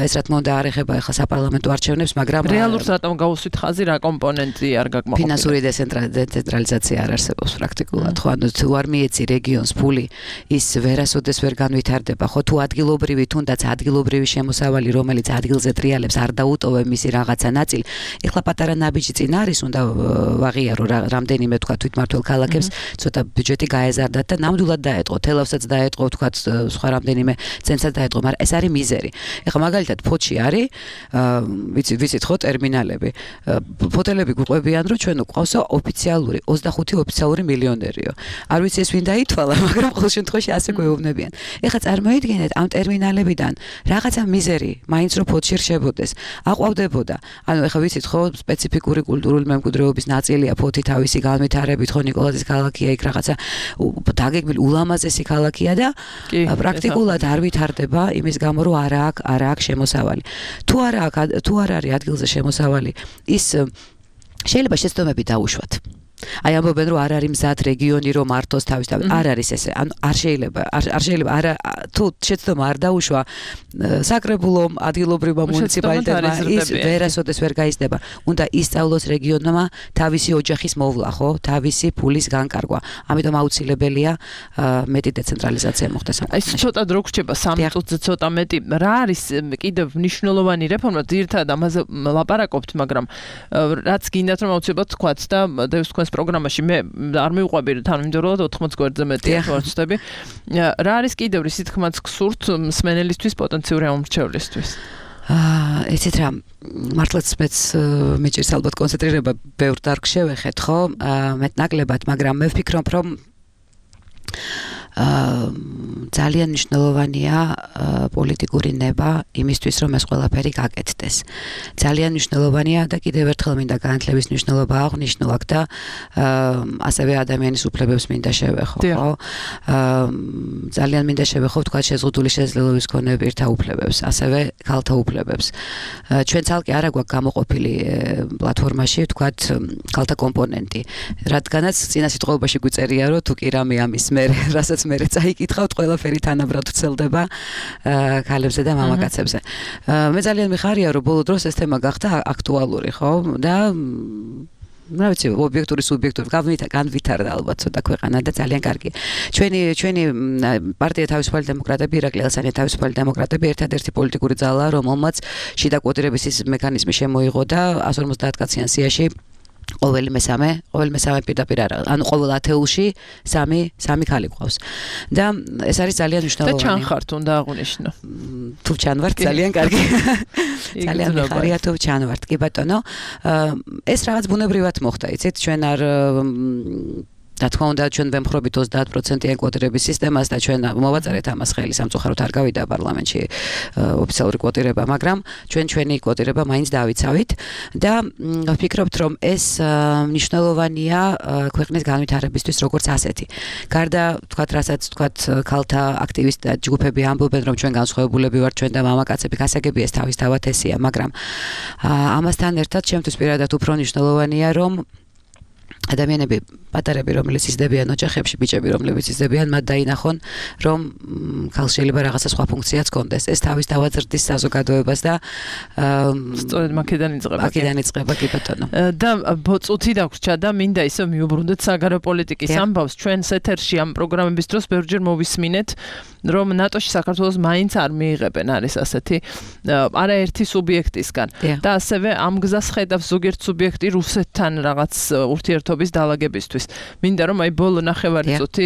ეს რა თქმა უნდა არ ეხება ახლა საპარლამენტო არჩევნებს მაგრამ რეალურად რატომ გაუსვით ხაზი რა კომპონენტი არ გაკმაყოფილებს ფინანსური დეცენტრალიზაცია არ არსებობს პრაქტიკულად ხო ანუ თუ არ მიეცი რეგიონს ფული ის ვერასოდეს ვერ განვითარდება ხო თუ ადგილობრივი თუნდაც ადგილობრივი შემოსავალი რომელიც ადგილზე ტრიალებს არ დაუტოვე მისი რაღაცა ნაწილი ეხლა პატარა ნაბიჯი წინ არის უნდა ვაღიარო რამდენიმე თქვა თვითმმართველ ქალაქებს ცოტა ბიუჯეტი გაეზარდათ და ნამდვილად დაეტყო თელავსაც დაეტყო თქვა სხვა რამდენიმე ცენტრსაც დაეტყო მაგრამ ეს არის მიზერი ეხლა მაგალითად ფოთში არის ვიცით ვიცით ხო ტერმინალები ფოტელები გვყვებიან რომ ჩვენ გვყავსო ოფიციალური ოცდახუთი ოფიციალური მილიონერიო არ ვიცი ეს ვინ დაითვალა მაგრამ ყოველ შემთხვევაში ასე გვეუბნებიან ეხლა წარმოიდგინეთ ამ ტერმინალებიდან რაღაცა მიზერი მაინც რომ ფოთში რჩებოდეს აყვავდებოდა ანუ ეხლა ვიცით ხო სპეციფიკური კულტურული მემკვიდრეობის ნაწილია ფოთი თავისი განვითარებით ხო ნიკოლაძის ქალაქია იქ რაღაცა დაგეგმილი ულამაზესი ქალაქია და პრაქტიკულად არ ვითარდება იმის გამო რომ არა აქვს არა აქვს შემოსავალი თუ არა თუ არ არის ადგილზე შემოსავალი ის შეიძლება შეცდომები დაუშვათ აი ამბობენ რომ არ არის მზად რეგიონი რომ მართოს თავის თავი არ არის ესე ანუ არ შეიძლება არ შეიძლება არა თუ შეცდომა არ დაუშვა საკრებულომ ადგილობრივმა მუნიციპალიტეტმა ის ვერასოდეს ვერ გაიზრდება უნდა ისწავლოს რეგიონმა თავისი ოჯახის მოვლა ხო თავისი ფულის განკარგვა ამიტომ აუცილებელია მეტი დეცენტრალიზაცია მოხდეს ამ აი ცოტა დრო გრჩება სამი წუთზე ცოტა მეტი რა არის კიდევ მნიშვნელოვანი რეფორმა ძირითადად ამაზე ლაპარაკობთ მაგრამ რაც გინდათ რომ აუცილებლად თქვათ და დევს თქვენს პროგრამაში მე არ მივყვები თანმიმდევრულად ოთხმოც გვერდზე მეტია ვარცდები რა არის კიდევ რისი თქმაც გსურთ მსმენელისთვის პოტენციური ამორჩევლისთვის აა ესეთ რა მართლაც მეც მეჭირს ალბათ კონცენტრირება ბევრ დარგ შევეხეთ ხო მეტნაკლებად მაგრამ მე ვფიქრობ რომ აა ძალიან მნიშვნელოვანია პოლიტიკური ნება იმისთვის რომ ეს ყველაფერი გაკეთდეს. ძალიან მნიშვნელოვანია და კიდევ ერთხელ მინდა განათლების მნიშვნელობა აღნიშნო აქ და ასევე ადამიანის უფლებებს მინდა შევეხო, ხო? ძალიან მინდა შევეხო თქვა შეზღუდული შესაძლებლობის მქონე პირთა უფლებებს, ასევე ქალთა უფლებებს. ჩვენ ცალკე არა გვაქვს გამოყოფილი პლატფორმაში თქვა ქალთა კომპონენტი, რადგანაც წინა სიტყვაში გვწერია რომ თუ კი რამე ამის მე რასაც მე წაიკითხავთ ყველაფერი თანაბრად ვრცელდება ქალებზე და მამაკაცებზე. მე ძალიან მიხარია რომ ბოლო დროს ეს თემა გახდა აქტუალური, ხო? და რა ვიცი, ობიექტური სუბიექტური განვითარდა ალბათ ცოტა ქვეყანა და ძალიან კარგი. ჩვენი ჩვენი პარტია თავისუფალი დემოკრატები, ირაკლი ელსანია თავისუფალი დემოკრატები ერთადერთი პოლიტიკური ძალაა, რომელმაც შიდა კვოტირების ის მექანიზმი შემოიღო და εκατს ორმოცდაათ კაციან სიაში ყოველი მესამე, ყოველი მესამე პირდაპირ არა, ანუ ყოველ ათეულში სამი სამი ქალი გვყავს. და ეს არის ძალიან მნიშვნელოვანი. და ჩანხართ უნდა აღვნიშნო. თუ ჩანვართ ძალიან კარგი. ძალიან მიხარია თუ ჩანვართ, კი ბატონო. ეს რაღაც ბუნებრივად მოხდა, იცით, ჩვენ არ და თქმა უნდა ჩვენ ვემხრობით ოცდაათ პროცენტიან კვოტირების სისტემას და ჩვენ მოვაწარეთ ამას ხელი სამწუხაროდ არ გავიდა პარლამენტში ოფიციალური კვოტირება, მაგრამ ჩვენ ჩვენი კვოტირება მაინც დავიცავით და ვფიქრობთ რომ ეს მნიშვნელოვანია ქვეყნის განვითარებისთვის როგორც ასეთი. გარდა თქვათ რასაც თქვათ ქალთა აქტივისტთა ჯგუფები ამბობენ რომ ჩვენ განსხვავებულები ვართ ჩვენ და მამაკაცები გასაგები ეს თავისთავად ესეა, მაგრამ ამასთან ერთად ჩემთვის პირადად უფრო მნიშვნელოვანია რომ ადამიანები პატარები რომელიც იზრდებიან ოჯახებში, ბიჭები რომლებიც იზრდებიან, მათ დაინახონ რომ ქალს შეიძლება რაღაცა სხვა ფუნქციაც ჰქონდეს. ეს თავისთავად ზრდის საზოგადოებას და სწორედ მაქედან იწყება. მაქედან იწყება კი ბატონო. და წუთი დაგვრჩა და მინდა ისე მიუბრუნდეთ საგარეო პოლიტიკის ამბავს. ჩვენს ეთერში ამ პროგრამების დროს ბევრჯერ მოვისმინეთ რომ ნატოში საქართველოს მაინც არ მიიღებენ არის ასეთი არაერთი სუბიექტისგან და ასევე ამ გზას ხედავს ზოგიერთ სუბიექტი რუსეთთან რაღაც ურთიერთობით მუშაობის დაალაგებისთვის. მინდა რომ აი ბოლო ნახევარი წუთი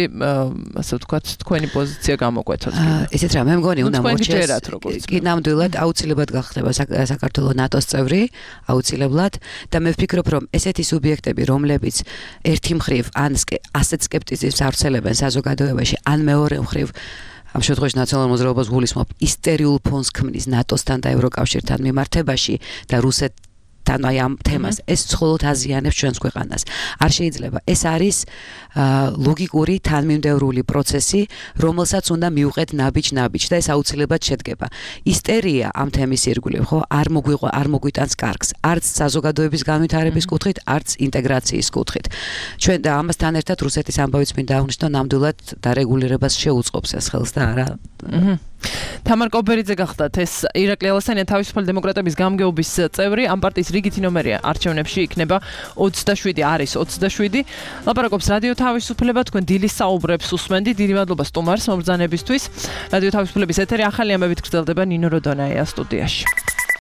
ასე ვთქვათ თქვენი პოზიცია გამოკვეთოთ. ესეთ რა მე მგონი უნდა მოჩეს. კი ნამდვილად აუცილებლად გახდება საქართველოს ნატოს წევრი, აუცილებლად და მე ვფიქრობ რომ ესეთი სუბიექტები რომლებიც ერთი მხრივ ან ასეთ სკეპტიციზმს ავრცელებენ საზოგადოებაში, ან მეორე მხრივ ამ შემთხვევაში ნაციონალურ მოძრაობას გულისხმობ ისტერიულ ფონს ქმნის ნატოსთან და ევროკავშირთან მიმართებაში და რუსეთთან აი ამ თემას ეს მხოლოდ აზიანებს ჩვენს ქვეყანას. არ შეიძლება. ეს არის ლოგიკური თანმიმდევრული პროცესი, რომელსაც უნდა მივუყეთ ნაბიჯ-ნაბიჯ და ეს აუცილებლად შედგება. ისტერია ამ თემის ირგვლივ, ხო, არ მოგვიყვა, არ მოგვიტანს კარგს, არც საზოგადოების განვითარების კუთხით, არც ინტეგრაციის კუთხით. ჩვენ და ამასთან ერთად რუსეთის ამბავიც მინდა აღნიშნო, ნამდვილად დარეგულირებას შეუწყობს ეს ხელს და არა. თამარ კობერიძე გახდათ ეს ირაკლი ალასანია თავისუფალი დემოკრატების გამგეობის წევრი, ამ პარტიის რიგითი ნომერია არჩევნებში იქნება ოცდაშვიდი არის ოცდაშვიდი. ლაპარაკობს რადიო თავისუფლება, თქვენ დილის საუბრებს უსმენდით. დიდი მადლობა სტუმარს მობრძანებისთვის. რადიო თავისუფლების ეთერი ახალი ამბებით გრძელდება, ნინო როდონაია სტუდიაში.